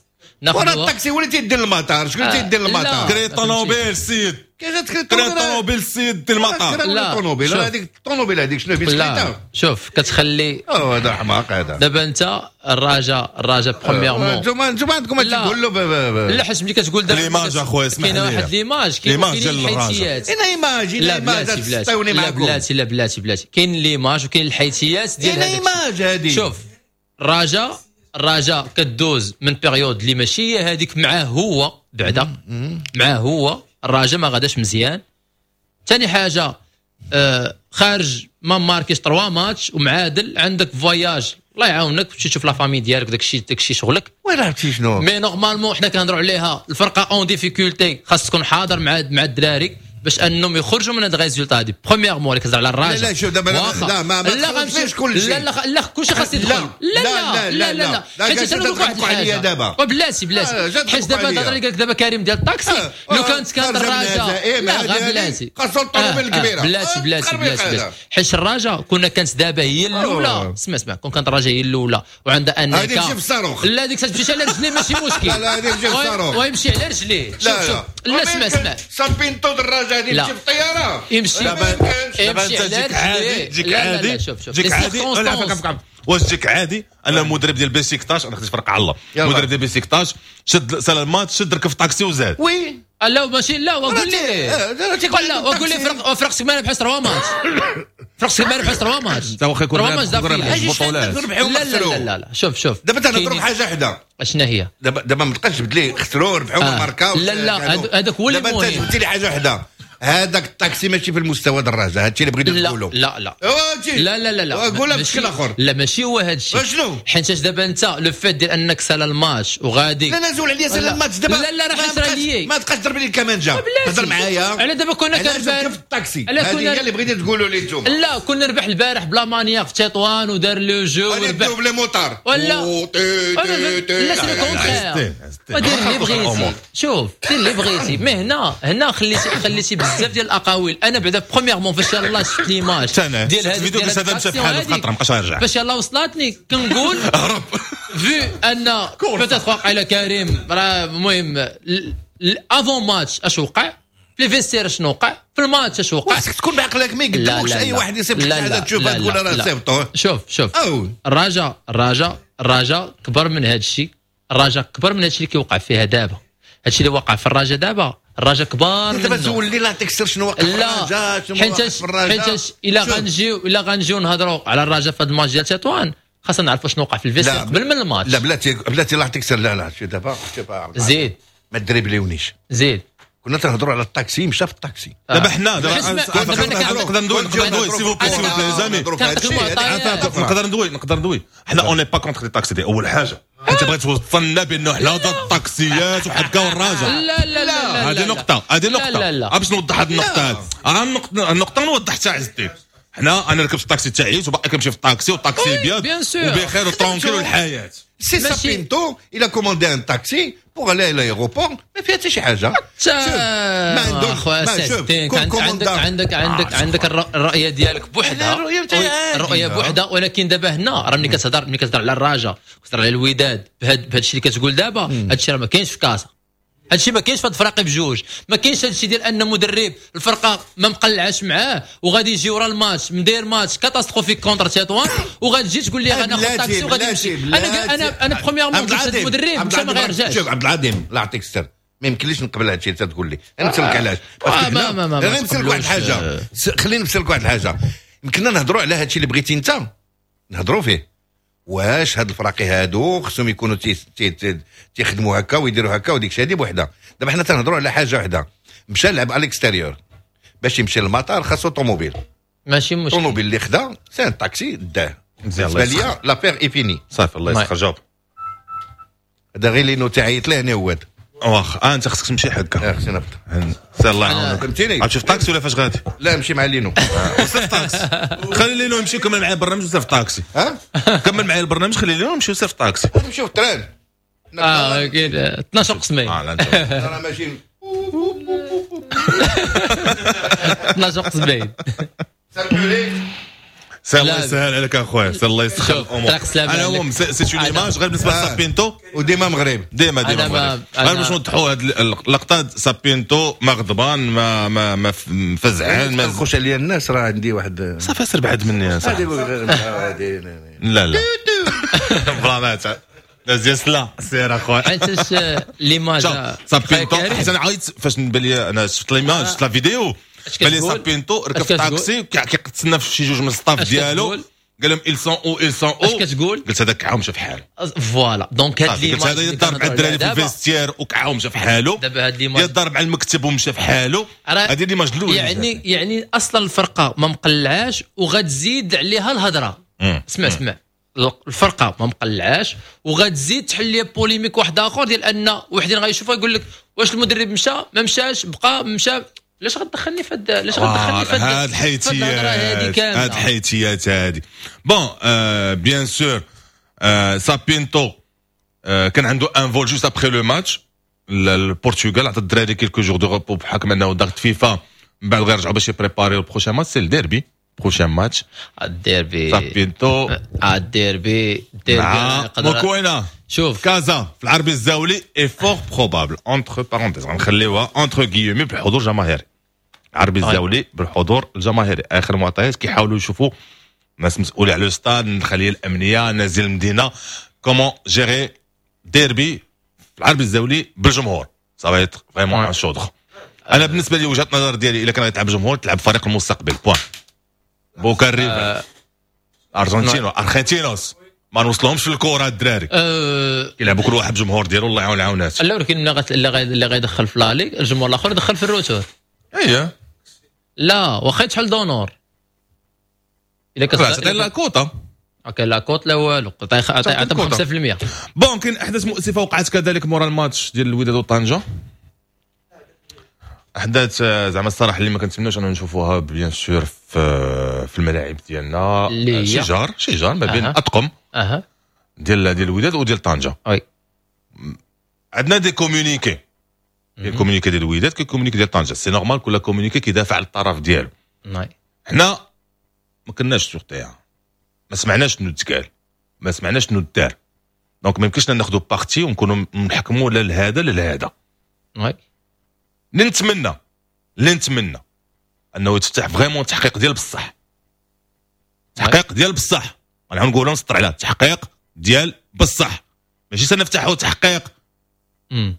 ورا الطاكسي هو اللي تيدير المطار، شكون اللي تيدير المطار؟ كري طوموبيل السيد، كيفاش تكري طوموبيل السيد دير المطار؟ لا، الطوموبيل هذيك، الطوموبيل هذيك شنو؟ بيسكليته. شوف، كتخلي او هذا حماق هذا. دابا انت الرجاء، الرجاء premièrement انتوما انتوما عندكم تقول له لا، حيت ملي كتقول دابا l'image اخويا، اسمح لي، كاين واحد l'image، كاين الحيثيات. اين image؟ لا بلاتي بلاتي، لا بلاتي، لا بلاتي بلاتي، كاين l'image وكاين الحيثيات ديال هذا. l'image هذه. شوف، الرجاء الرجاء كدوز من période اللي ماشي هي هذيك معاه هو بعدا، معاه هو الرجاء ما غاداش مزيان. ثاني حاجه، آه خارج ما ماركيش trois matchs ومعادل، عندك voyage، الله يعاونك، تمشي تشوف la famille ديالك، داك الشيء داك الشيء شغلك. وين عرفتي شنو؟ mais normalement حنا كنهضروا عليها، الفرقة en difficulté خاص تكون حاضر مع مع الدراري باش انهم يخرجوا من هاد ال résultat هادي. premièrement اللي كتهضر على الرجاء. لا لا، شوف دابا، لا ما ما لا غنمشي كل شيء. لا لا لا، كلشي خاص يدخل. لا لا لا لا لا، حيت انا نقول واحد الحاجة دابا. بلاتي بلاتي، حيت دابا الهضرة اللي قال لك دابا كريم ديال الطاكسي، لو كانت كانت الرجاء، لا غير بلاتي. خاصو الطوموبيل الكبيره. بلاتي بلاتي بلاتي، حيت الرجاء كنا كانت دابا هي الاولى. اسمع اسمع، كون كانت الرجاء هي الاولى وعندها انك هذه تمشي في الصاروخ. لا، ديك تمشي على رجليه ماشي مشكل. لا، هذه تمشي في الصاروخ. ويمشي على رجليه. شوف شوف، لا اسمع اسمع. سامبينتو الرجاء هذه يمشي في الطياره. يمشي دابا انت جيك عادي، جيك عادي، جيك عادي، واش جيك عادي انا المدرب ديال بيسيكتاش، انا خديت فرق على الله، المدرب ديال بيسيكتاش شد سال الماتش، شد ركب في طاكسي وزاد؟ oui. لا ماشي، لا وقول لي، لا وقول لي، فرق فرق ما ربحش trois matchs، فرق ما ربحش trois matchs. انت واخا يكون trois matchs بطولات. لا لا لا لا، شوف شوف. دابا تنهضروا بحاجة وحده. اشنا هي؟ دابا دابا ما تبقاش تجبد لي خسروا ربحوا ما ماركاو. لا لا، هذاك هو اللي دابا انت جبتي لي حاجة وحده، هذاك الطاكسي ماشي في المستوى ديال الرجاء، هادشي اللي بغيت نقولوا. لا لا لا لا لا لا، قولها بشكل اخر. لا ماشي هو هذا الشيء. شنو؟ حيت دابا انت le fait ديال انك سال الماتش وغادي. لا لا، زول عليا سال الماتش دابا. لا لا، راه حسرا لي. ما تبقاش تضرب لي الكمانجه، هضر معايا. على دابا كنا كنربح في الطاكسي، هذه هي اللي بغيتي تقولوا لي انتم. لا، كنا نربح البارح ب la manière في تطوان ودار le jeu وربح double moteur. ولا لا، c'est le contraire، ودير اللي بغيتي، شوف دير اللي بغيتي، mais هنا هنا خليتي خليتي بزاف ديال الاقاويل. انا بعدا premièrement فاش يلاه شفت l'image ديال هذا الفيديو، قلت هذا مشى بحاله في خطره، ما بقاش يرجع. فاش يلاه وصلتني كنقول هرب. vu ان peut-être وقع على كريم، راه المهم avant match اش وقع في les vestiaires، شنو وقع في الماتش، اش وقع. خاصك تكون بعقلك، ما يقدموكش اي واحد يصيفط حاجة تشوفها تقول راه صيفطوه. شوف شوف، الرجاء الرجاء الرجاء كبر من هذا الشيء، الرجاء كبر من هذا الشيء اللي كيوقع فيها دابا. هذا الشيء اللي وقع في الرجاء دابا، الرجاء كبار. دابا زول لي لا تكسر شنو وقع في الرجاء، شنو وقع في الرجاء. حيت الا غنجيو الا غنجيو نهضروا على الرجاء في هذا الماتش ديال تطوان، خاصنا نعرفوا شنو وقع في ال vestiaire قبل من الماتش. لا بلاتي بلاتي، لا تكسر، لا لا، شوف دابا زيد. ما دريبليونيش. زيد. كنا تنهضروا على الطاكسي، مشى في الطاكسي. دابا حنا دابا نقدر ندوي نقدر ندوي s'il vous plaît، s'il vous plaît les amis، نقدر ندوي نقدر ندوي. حنا on est pas contre les taxis، دي اول حاجه. انت بغيت توصلنا بانه حنا ضد الطاكسيات وحكا والرجاء. لا لا لا، هذه نقطة، هذه نقطة باش نوضح هذه النقطة هذه النقطة النقطة نوضحتها عز الدين. حنا انا ركبت الطاكسي تاعي وباقي كنمشي في الطاكسي، والطاكسي ابيض وبخير و tranquille والحياه. سي سابينتو il a commandé un taxi pour aller à l'aéroport، ما فيها حتى شي حاجه. ما عندهم عندك عندك عندك عندك الرؤية ديالك بوحدها، الرؤية بوحدها. ولكن دابا هنا راه ملي كتهضر ملي كتهضر على الرجاء، كتهضر على الوداد بهذا الشيء اللي كتقول دابا، هذا الشيء راه ما كاينش في كازا. هادشي ما كاينش في هاد الفراقي بجوج، ما كاينش هادشي ديال ان مدرب الفرقة ما مقلعاش معاه وغادي يجي ورا الماتش مدير match catastrophique contre تطوان وغادي تجي تقول لي انا خد طاكسي وغادي نمشي. انا انا انا premièrement قلت المدرب مشى ما غيرجعش. شوف عبد العظيم الله يعطيك الستر، ما يمكنليش نقبل هادشي اللي تقول لي. انا نسالك علاش، ما ما ما انا نسالك واحد الحاجة، خليني نسالك واحد الحاجة. يمكننا نهضروا على هادشي اللي بغيتي انت نهضروا فيه، واش هاد الفراقي هادو خصهم يكونوا تيخدموا هكا ويديروا هكا وديك الشيء هادي بوحده. دابا حنا تنهضروا على حاجة وحده، مشى لعب على ال extérieur باش يمشي للمطار خاصو طوموبيل، ماشي مشكل. الطوموبيل اللي خدا c'est un taxi داه. بالنسبة ليا l'affaire est finie. صافي الله يسخر. جاوب هذا غير لينو تعيط ليه انا هو واخ. اه انت خصك تمشي حكا. اه خصني نهبط. سير الله يعاونك. فهمتيني؟ غتمشي في طاكسي ولا فاش غادي؟ لا نمشي مع لينو. وسير في طاكسي. خلي لينو يمشي كمل معايا البرنامج وسير في طاكسي. ها؟ كمل معايا البرنامج خلي لينو يمشي وسير في طاكسي. نمشيو في ال train. اه اكيد اثناش قسمين. اه لا انت راه ماشي اثناش قسمين. سير الله يسهل عليك اخويا، سير الله يسخر الامور. انا هو c'est une image غير بالنسبة لسابينتو وديما مغرب، ديما ديما مغرب. غير باش نوضحوا هذه اللقطة، سابينتو ما غضبان ما ما ما مفزعان ما تخش عليا الناس، راه عندي واحد صافي سير بعد مني صافي. لا لا بلا ما لا سير اخويا. حيتاش l'image سابينتو حيت انا عيطت فاش نبان لي انا شفت l'image شفت la vidéo بالي سابينتو ركب في طاكسي كيتسنى في شي جوج من ال staff ديالو، قال لهم ils sont où ils sont où. اش كتقول؟ قلت هذاك كعاو مشى في حاله. voilà donc هاد l'image قلت هذا يضرب مع الدراري في ال vestiaire وكعاو مشى في حاله. دابا هاد l'image يضرب على المكتب ومشى في حاله. هذه l'image الاولى. يعني يعني اصلا الفرقة ما مقلعاش وغتزيد عليها الهضرة. اسمع اسمع، الفرقة ما مقلعاش وغتزيد تحل لي polémique واحد اخر ديال ان وحدين غيشوفها يقول لك واش المدرب مشى ما مشاش بقى مشى. علاش غتدخلني في هاد علاش غتدخلني في هاد الحيتيات هاد الحيتيات هادي. bon bien sûr سابينتو كان عنده un vol juste après le match البرتغال، عطى الدراري quelques jours de repos بحكم انه ضغط فيفا، من بعد غيرجعوا باش يبريباريو ال prochain match، c'est ال derby prochain match الديربي سابينتو الديربي الديربي موكوينا. شوف كازا في العربي الزاولي est fort probable entre parenthèses غنخليوها entre guillemets بالحضور الجماهيري. العربي الزاولي بالحضور الجماهيري. اخر معطيات كيحاولوا يشوفوا ناس مسؤولين على le stade، الخلية الامنية، ناس ديال المدينة، comment gérer derby في العربي الزاولي بالجمهور. ça va être vraiment un chaudron. انا بالنسبة لي وجهه النظر ديالي الا كان غيتلعب بالجمهور تلعب فريق المستقبل point. بوكا ريفر ارجنتينو ارجنتينوس ما نوصلهمش في الكره الدراري. أه كيلعبوا كل واحد بجمهور ديالو الله يعاون العاونات. لا ولكن اللي غيدخل في l'aller الجمهور الاخر يدخل في ال retour. اييه لا واخا يتحل d'honneur الا كتعطي la quota OK la quota لا والو عطي عطي خمسة بالمية. bon كاين احداث مؤسفة وقعت كذلك مورا الماتش ديال الوداد وطنجه، احداث زعما الصراحة اللي ما كنتمناوش اننا نشوفوها bien sûr في في الملاعب ديالنا. شجار شجار ما بين اطقم اها ديال ديال الوداد وديال طنجه. oui عندنا des communiqués، des communiqués ديال الوداد كاين communiqué ديال طنجه، c'est normal كل communiqué كيدافع على الطرف ديالو. oui حنا ما كناش sur terrain، ما سمعناش شنو تقال، ما سمعناش شنو دار، donc ما يمكنش ناخذوا parti ونكونوا نحكموا لا لهذا لا لهذا. oui نتمنى نتمنى انه يتفتح vraiment تحقيق ديال بصح، تحقيق ديال بصح، انا نقولوا نسطر على تحقيق ديال بصح، ماشي سنفتحوا تحقيق امم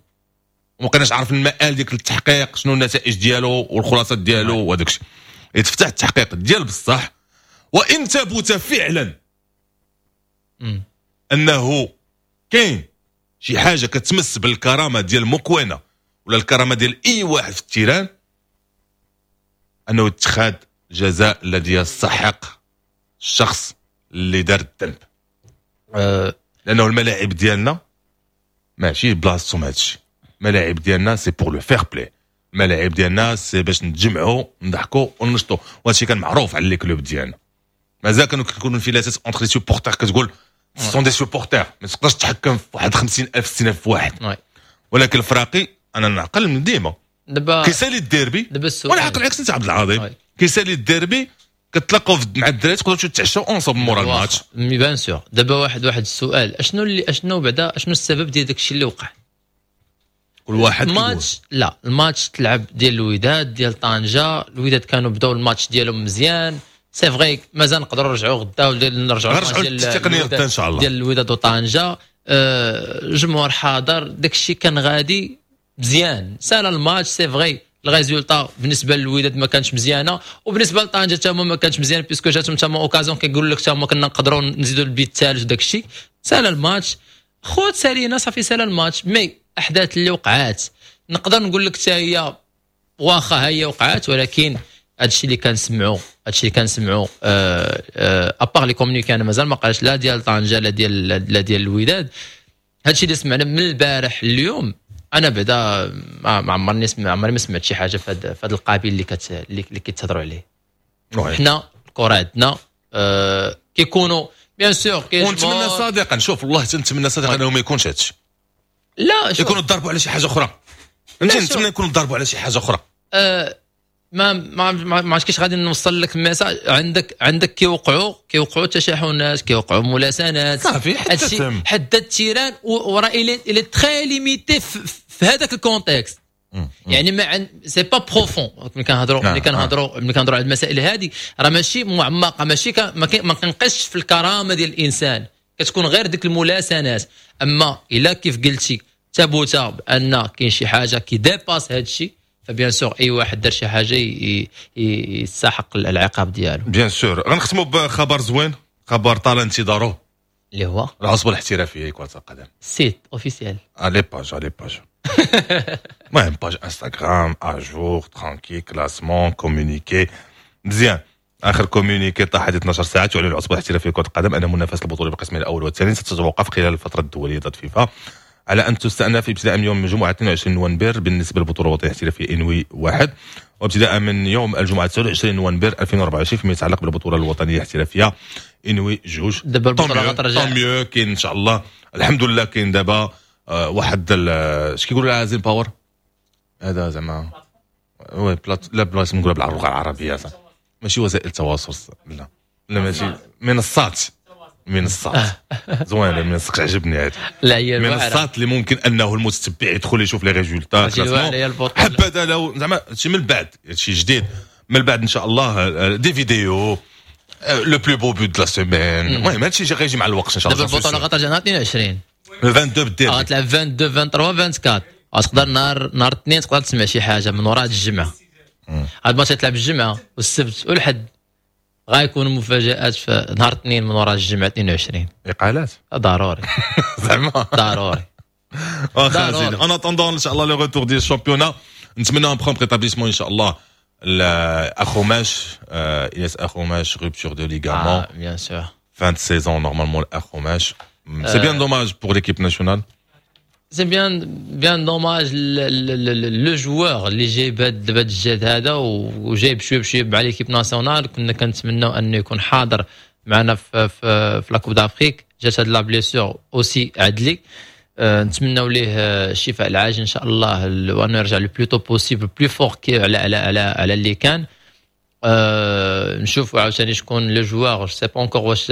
وما كناش عارف المآل ديال التحقيق شنو النتائج ديالو والخلاصات ديالو وهذاك الشيء. يتفتح التحقيق ديال بصح، وان ثبت فعلا مم. انه كاين شي حاجة كتمس بالكرامه ديال موكوينه ولا الكرامة ديال اي واحد في ال terrain، انه اتخاذ الجزاء الذي يستحق الشخص اللي دار الذنب. أه لانه الملاعب ديالنا ماشي بلاصتهم هادشي. الملاعب ديالنا c'est pour le fair-play، الملاعب ديالنا c'est باش نتجمعوا نضحكوا وننشطوا، وهادشي كان معروف على les clubs ديالنا. مازال كانوا كيكونوا انفلاتات entre les supporters، كتقول sont des supporters ما تقدرش تحكم في واحد خمسين ألف ستين ألف واحد. ولكن الفراقي انا نعقل من ديما دابا كيسالي الديربي، وانا عاقل عكس انت عبد العظيم، كيسالي الديربي كتلاقاو مع الدراري تقدروا تتعشاو ensemble مورا الماتش. mais bien sûr. دابا واحد واحد السؤال، اشنو اللي اشنو بعدا اشنو السبب ديال داكشي اللي وقع؟ كل واحد الماتش، لا، الماتش تلعب ديال الوداد ديال طنجه، الوداد كانوا بداو الماتش ديالهم مزيان، c'est vrai مازال نقدروا نرجعوا غدا ولا نرجعوا نرجعوا للتقنية غدا ان شاء الله. ديال الوداد وطنجه، آه، الجمهور حاضر، داك الشيء كان غادي مزيان. سالا الماتش، c'est vrai ال résultat بالنسبة للوداد ما كانش مزيانه، وبالنسبة لطنجه حتى هما ما كانش مزيان، puisque جاتهم تما occasion كيقول لك حتى هما كنا نقدروا نزيدوا البيت الثالث وداك الشيء. سالا الماتش خوت، سالينا صافي، سالا الماتش. mais احداث اللي وقعات نقدر نقول لك حتى هي واخا هي وقعات، ولكن هادشي اللي كنسمعوا هادشي اللي كنسمعوا à part les communiqués، انا مازال ما قالش لا ديال طنجه لا ديال لا ديال الوداد. هادشي اللي سمعنا من البارح اليوم، انا بعدا ما عمرني سمع عمري ما سمعت شي حاجة في هذا القبيل اللي كت اللي كيتهضروا عليه. حنا الكره عندنا آه كيكونوا bien sûr ونتمنى صادقا، شوف والله تنتمنى صادقا انه ما يكونش هادشي. لا شوف، يكونوا ضربوا على شي حاجة اخرى، فهمتي؟ نتمنى يكونوا ضربوا على شي حاجة اخرى. آه ما ما ما عرفتش كيفاش غادي نوصل لك ال message. عندك عندك كيوقعوا كيوقعوا تشاحنات، كيوقعوا ملاسنات. صافي حتى حتى ال terrain وراه il est très limité في هذاك ال contexte، يعني ما عند c'est pas profond. ملي كنهضروا ملي كنهضروا ملي كنهضروا على المسائل هذه راه ماشي معمقه، ماشي ما كنقيسش في الكرامة ديال الانسان، كتكون غير ديك الملاسنات. اما الا كيف قلتي ثبت بان كاين شي حاجة qui dépasse هذا الشيء، ف bien sûr اي واحد دار شي حاجة يستحق العقاب ديالو. bien sûr. غنختموا بخبر زوين، خبر طال انتظاره. اللي هو العصبة الاحترافية لكرة القدم. site officiel. les pages les pages المهم page انستغرام à jour، tranquille، classement، communiqué مزيان. اخر communiqué طاح هذه اثنا عشر ساعه، تعلن العصبة الاحترافية لكرة القدم ان منافسه البطولة بالقسمين الاول والثاني ستتوقف خلال الفترة الدولية ضد فيفا، على ان تستأنف ابتداء من يوم الجمعة اثنين وعشرين نوفمبر بالنسبة للبطولة الوطنية الاحترافية انوي واحد، وابتداء من يوم الجمعة تسعة وعشرين نوفمبر ألفين وأربعة وعشرين فيما يتعلق بالبطولة الوطنية الاحترافية انوي جوج. دابا البطولة غترجع. tant mieux، كاين ان شاء الله، الحمد لله كاين دابا آه، واحد اش كيقولوا لها زين باور هذا زعما oui plate لا بلاص نقولها باللغة العربيه، ماشي وسائل التواصل، لا لا ماشي منصات، منصات زوينه، المنصات عجبني هذه. لا هي منصات اللي ممكن انه المتتبع يدخل يشوف les résultats. حبذا لو زعما شي من بعد شي جديد من بعد ان شاء الله، des vidéos، le plus beau but de la semaine. المهم هادشي غيجي مع الوقت ان شاء الله. دابا البطولة غترجع نهار اثنين وعشرين. اثنين وعشرين بالدير. غتلعب اثنين وعشرين ثلاثة وعشرين أربعة وعشرين. غتقدر نهار نهار الاثنين تقدر تسمع شي حاجة من وراء الجمعه. هاد الماتش تلعب الجمعة والسبت والحد، غيكونوا مفاجات في نهار الاثنين من وراء الجمعة اثنين وعشرين. اقالات. ضروري. زعما. ضروري. واخا زين، en attendant ان شاء الله le retour ديال ال championnat، نتمنى un prompt rétablissement ان شاء الله اخوماش، الياس اخوماش، rupture de ligament. bien sûr. fin de saison normalement اخوماش، c'est bien dommage pour l'équipe nationale. c'est bien bien dommage le joueur اللي جايب هذا الجهد هذا وجايب شوية بشوية مع l'équipe nationale. كنا كنتمناو انه يكون حاضر معنا في في, في la Coupe d'Afrique. جات هاد la blessure aussi عدلي. أه نتمناو ليه الشفاء العاجل ان شاء الله، وانه يرجع le plus tôt possible، plus fort على على على على اللي كان. أه نشوفوا عاوتاني شكون le joueur، je sais pas encore واش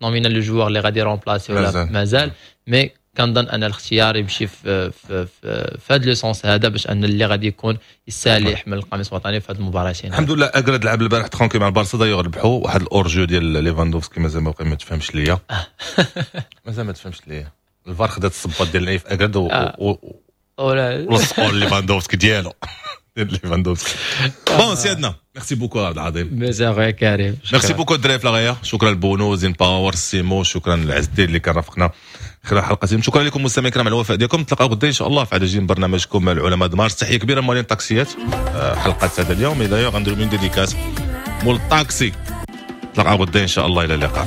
nomina le joueur اللي غادي remplacer ولا مازال، mais كنظن ان الاختيار يمشي في في في, في هذا le sens هذا، باش ان اللي غادي يكون يستاهل يحمل القميص الوطني في هذه المباراتين. الحمد لله اكرد لعب البارح tranquille مع البارسا، دايوغ ربحوا. واحد ال hors-jeu ديال ليفاندوفسكي مازال ما ما تفهمش ليا، مازال ما تفهمش ليا. الفار خدات الصباط ديال نايف اكرد و ولصقوا ليفاندوفسكي ديالو ديال ليفاندوفسكي. bon سيادنا، merci beaucoup عبد العظيم. ميرسي اخويا كريم. merci beaucoup الدراري في لاغايا، شكرا لبونو زين باور سيمو، شكرا لعز الدين اللي كان رافقنا خلال حلقة. شكرا لكم مستمعينا الكرام على الوفاء ديالكم. نتلاقاو غدا ان شاء الله في عدد جديد من برنامجكم العلماء مارس. تحية كبيرة موالين الطاكسيات، حلقة هذا اليوم d'ailleurs غنديرو une dédicace مول الطاكسي. نتلاقاو غدا ان شاء الله، الى اللقاء.